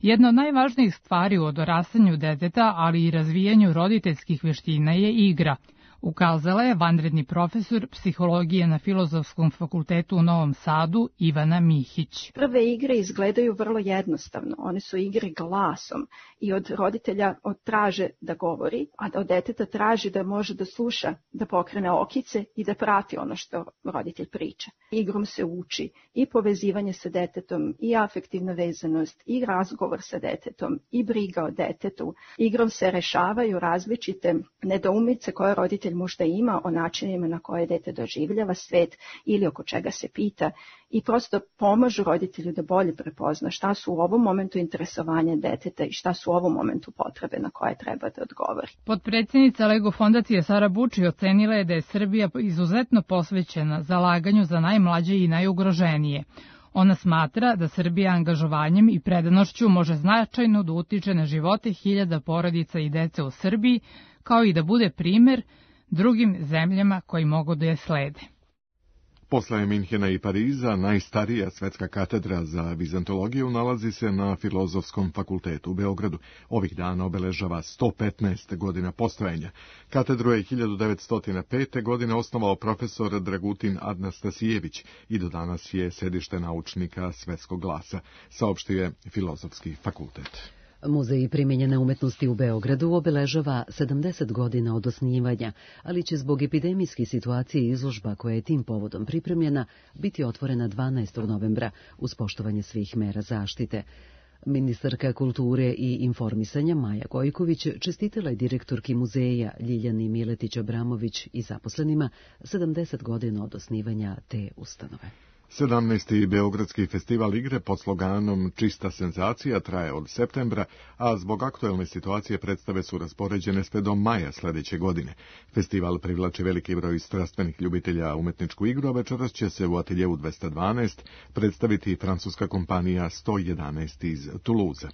Jedna od najvažnijih stvari u odrastanju deteta, ali i razvijanju roditeljskih vještina je igra, ukazala je vanredni profesor psihologije na Filozofskom fakultetu u Novom Sadu Ivana Mihić. Prve igre izgledaju vrlo jednostavno. One su igre glasom i od roditelja traže da govori, a od deteta traži da može da sluša, da pokrene okice i da prati ono što roditelj priča. Igrom se uči i povezivanje sa detetom, i afektivna vezanost, i razgovor sa detetom, i briga o detetu. Igrom se rešavaju različite nedoumice koje roditelj možda ima o načinima na koje dete doživljava svet ili oko čega se pita, i prosto pomažu roditelju da bolje prepozna šta su u ovom momentu interesovanja deteta i šta su u ovom momentu potrebe na koje treba da odgovori. Potpredsjednica Lego fondacije Sara Buči ocenila je da je Srbija izuzetno posvećena zalaganju za najmlađe i najugroženije. Ona smatra da Srbija angažovanjem i predanošću može značajno da utiče na živote hiljada porodica i dece u Srbiji, kao i da bude primer drugim zemljama koji mogu da je slede. Posle Minhena i Pariza, najstarija svetska katedra za vizantologiju nalazi se na Filozofskom fakultetu u Beogradu. Ovih dana obeležava 115 godina postojanja. Katedru je 1905. godine osnovao profesor Dragutin Anastasijević i do danas je sedište naučnika svetskog glasa, saopštio je Filozofski fakultet. Muzej primijenjene umetnosti u Beogradu obeležava 70 godina od osnivanja, ali će zbog epidemijske situacije izložba koja je tim povodom pripremljena biti otvorena 12. novembra uz poštovanje svih mera zaštite. Ministarka kulture i informisanja Maja Gojković čestitala je direktorki muzeja Ljiljani Miletić-Abramović i zaposlenima 70 godina od osnivanja te ustanove. 17. Beogradski festival igre pod sloganom Čista senzacija traje od septembra, a zbog aktuelne situacije predstave su raspoređene sve do maja sledeće godine. Festival privlači veliki broj strastvenih ljubitelja umetničku igru, a večeras će se u ateljevu 212 predstaviti francuska kompanija 111 iz Toulouse.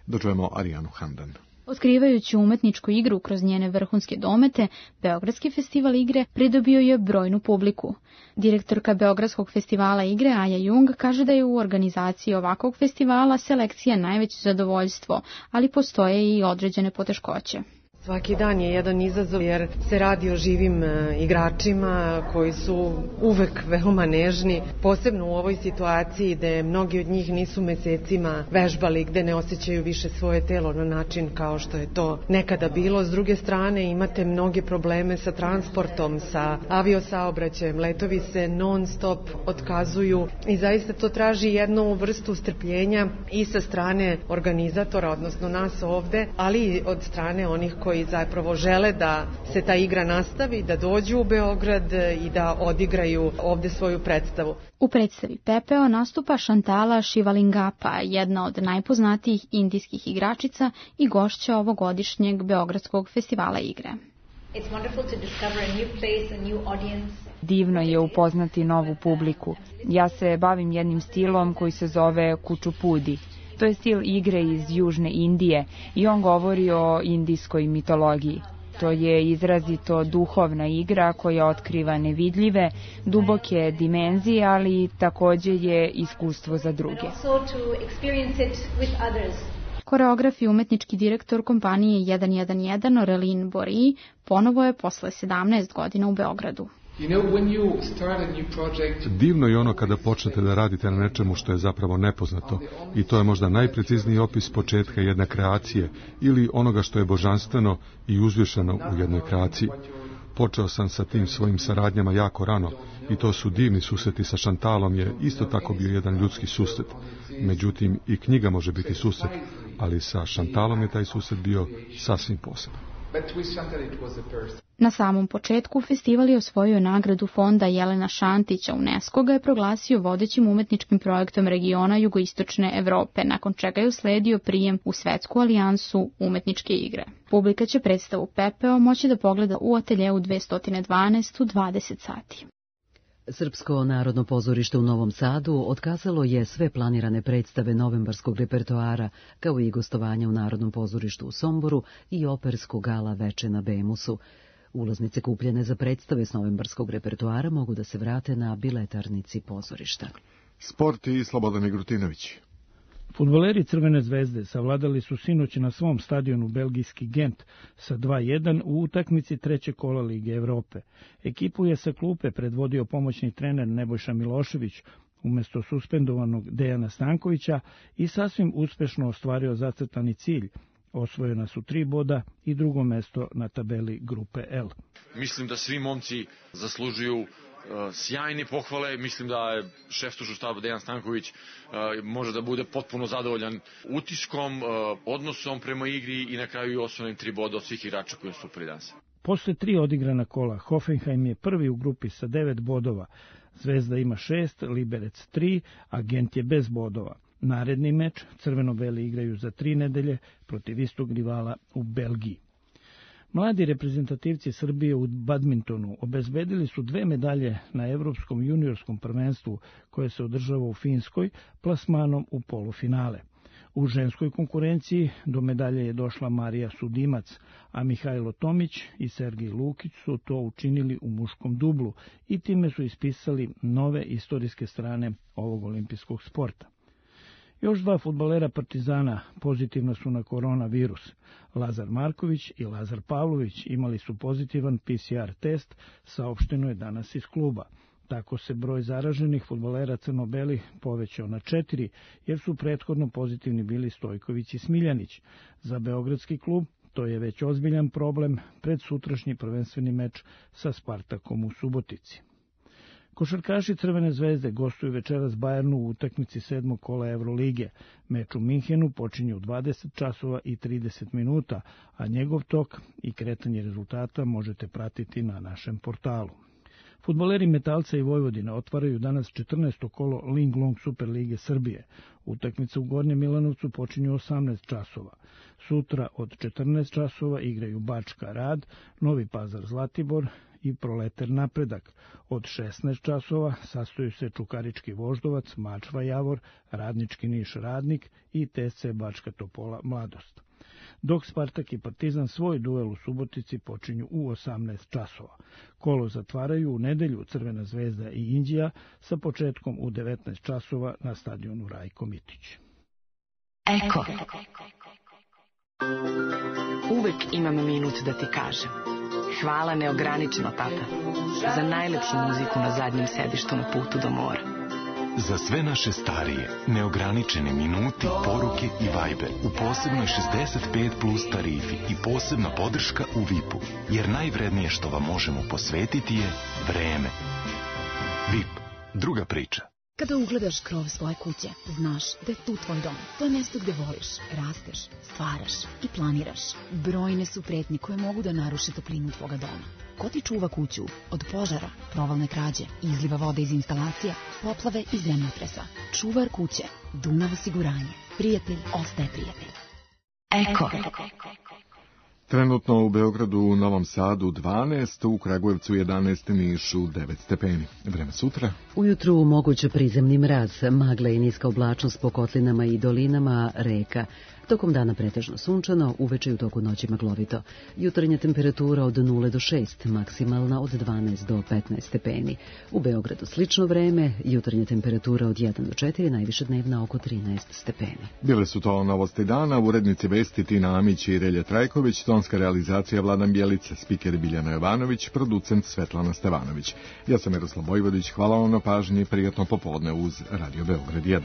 Dočujemo Arijanu Handan. Otkrivajući umetničku igru kroz njene vrhunske domete, Beogradski festival igre pridobio je brojnu publiku. Direktorka Beogradskog festivala igre Aja Jung kaže da je u organizaciji ovakvog festivala selekcija najveće zadovoljstvo, ali postoje i određene poteškoće. Svaki dan je jedan izazov jer se radi o živim igračima koji su uvek veoma nežni, posebno u ovoj situaciji gde mnogi od njih nisu mesecima vežbali, gde ne osjećaju više svoje telo na način kao što je to nekada bilo. S druge strane imate mnoge probleme sa transportom, sa aviosaobraćajem, letovi se non stop otkazuju i zaista to traži jednu vrstu strpljenja i sa strane organizatora, odnosno nas ovde, ali i od strane onih koji zapravo žele da se ta igra nastavi, da dođu u Beograd i da odigraju ovde svoju predstavu. U predstavi Pepeo nastupa Shantala Shivalingappa, jedna od najpoznatijih indijskih igračica i gošća ovogodišnjeg Beogradskog festivala igre. Divno je upoznati novu publiku. Ja se bavim jednim stilom koji se zove kučupudi. To je stil igre iz Južne Indije i on govori o indijskoj mitologiji. To je izrazito duhovna igra koja otkriva nevidljive, duboke dimenzije, ali takođe je iskustvo za druge. Koreograf i umetnički direktor kompanije 111 Aurelien Bory ponovo je posle 17 godina u Beogradu. Divno je ono kada počnete da radite na nečemu što je zapravo nepoznato i to je možda najprecizniji opis početka jedne kreacije ili onoga što je božanstveno i uzvišeno u jednoj kreaciji. Počeo sam sa tim svojim saradnjama jako rano i to su divni susreti. Sa Šantalom je isto tako bio jedan ljudski susret. Međutim, i knjiga može biti susret, ali sa Šantalom je taj susret bio sasvim poseban. Na samom početku festival je osvojio nagradu fonda Jelena Šantića. UNESCO ga je proglasio vodećim umetničkim projektom regiona jugoistočne Evrope, nakon čega je usledio prijem u Svetsku alijansu umetničke igre. Publika će predstavu Pepeo moći da pogleda u ateljevu 212 u 20 sati. Srpsko narodno pozorište u Novom Sadu otkazalo je sve planirane predstave novembarskog repertoara, kao i gostovanja u Narodnom pozorištu u Somboru i operskog gala Veče na Bemusu. Ulaznice kupljene za predstave s novembarskog repertoara mogu da se vrate na biletarnici pozorišta. Sport i Slobodan Igrutinović. Fudbaleri Crvene zvezde savladali su sinoć na svom stadionu belgijski Gent sa 2:1 u utakmici trećeg kola Lige Evrope. Ekipu je sa klupe predvodio pomoćni trener Nebojša Milošević umesto suspendovanog Dejana Stankovića i sasvim uspešno ostvario zacrtani cilj. Osvojena su 3 boda i drugo mesto na tabeli grupe L. Mislim da svi momci zaslužuju sjajne pohvale. Mislim da je šef stručnog štaba Dejan Stanković može da bude potpuno zadovoljan utiskom, odnosom prema igri i na kraju i osvojenim 3 boda od svih igrača koji su stupili danas. Posle 3 odigrana kola, Hoffenheim je prvi u grupi sa 9 bodova. Zvezda ima 6, Liberec 3, a Gent je bez bodova. Naredni meč crveno-beli igraju za 3 nedelje protiv istog rivala u Belgiji. Mladi reprezentativci Srbije u badmintonu obezbedili su 2 medalje na Evropskom juniorskom prvenstvu koje se održava u Finskoj plasmanom u polufinale. U ženskoj konkurenciji do medalje je došla Marija Sudimac, a Mihajlo Tomić i Sergej Lukić su to učinili u muškom dublu i time su ispisali nove istorijske strane ovog olimpijskog sporta. Još 2 fudbalera Partizana pozitivna su na koronavirus. Lazar Marković i Lazar Pavlović imali su pozitivan PCR test, saopšteno je danas iz kluba. Tako se broj zaraženih fudbalera crno-belih povećao na 4, jer su prethodno pozitivni bili Stojković i Smiljanić. Za beogradski klub to je već ozbiljan problem pred sutrašnji prvenstveni meč sa Spartakom u Subotici. Košarkaši Crvene zvezde gostuju večeras Bajernu u utakmici 7. kola Evrolige. Meč u Minhenu počinje u 20 časova i 30 minuta, a njegov tok i kretanje rezultata možete pratiti na našem portalu. Fudbaleri Metalca i Vojvodine otvaraju danas 14. kolo Linglong Superlige Srbije. Utakmica u Gornjem Milanovcu počinje u 18 časova. Sutra od 14 časova igraju Bačka Rad, Novi Pazar Zlatibor i Proleter Napredak. Od 16 časova sastoju se Čukarički Voždovac, Mačva Javor, Radnički Niš Radnik i TSC Bačka Topola Mladost. Dok Spartak i Partizan svoj duel u Subotici počinju u 18 časova. Kolo zatvaraju u nedelju Crvena zvezda i Inđija sa početkom u 19 časova na stadionu Rajko Mitić. Eko. Uvek imam minut da ti kažem. Hvala neograničeno, tata, za najlepšu muziku na zadnjem sedištu na putu do mora. Za sve naše starije, neograničene minuti, poruke i Viber u posebnoj 65 plus tarifi i posebna podrška u VIP-u, jer najvrednije što vam možemo posvetiti je vreme. VIP, druga priča. Kada ugledaš krov svoje kuće, znaš da je tu tvoj dom. To je mjesto gde voliš, rasteš, stvaraš i planiraš. Brojne su pretnje koje mogu da naruše toplinu tvoga doma. Ko ti čuva kuću od požara, provalne krađe, izliva vode iz instalacija, poplave i zemljotresa? Čuvar kuće, Dunav osiguranje. Prijatelj ostaje prijatelj. Eko. Trenutno u Beogradu, u Novom Sadu 12, u Kragujevcu 11, Nišu 9 stepeni. Vreme sutra. Ujutru moguće prizemni mraz, magla i niska oblačnost po kotlinama i dolinama reka. Tokom dana pretežno sunčano, uveče i u toku noći maglovito. Jutarnja temperatura od 0 do 6, maksimalna od 12 do 15 stepeni. U Beogradu slično vreme, jutarnja temperatura od 1 do 4, najviše dnevna oko 13 stepeni. Bile su to novosti dana, urednici vesti Tina Amić i Relja Trajković, tonska realizacija Vladan Bjelica, spiker Biljana Jovanović, producent Svetlana Stevanović. Ja sam Miroslav Bojvodić, hvala vam na pažnji, prijatno popodne uz Radio Beograd 1.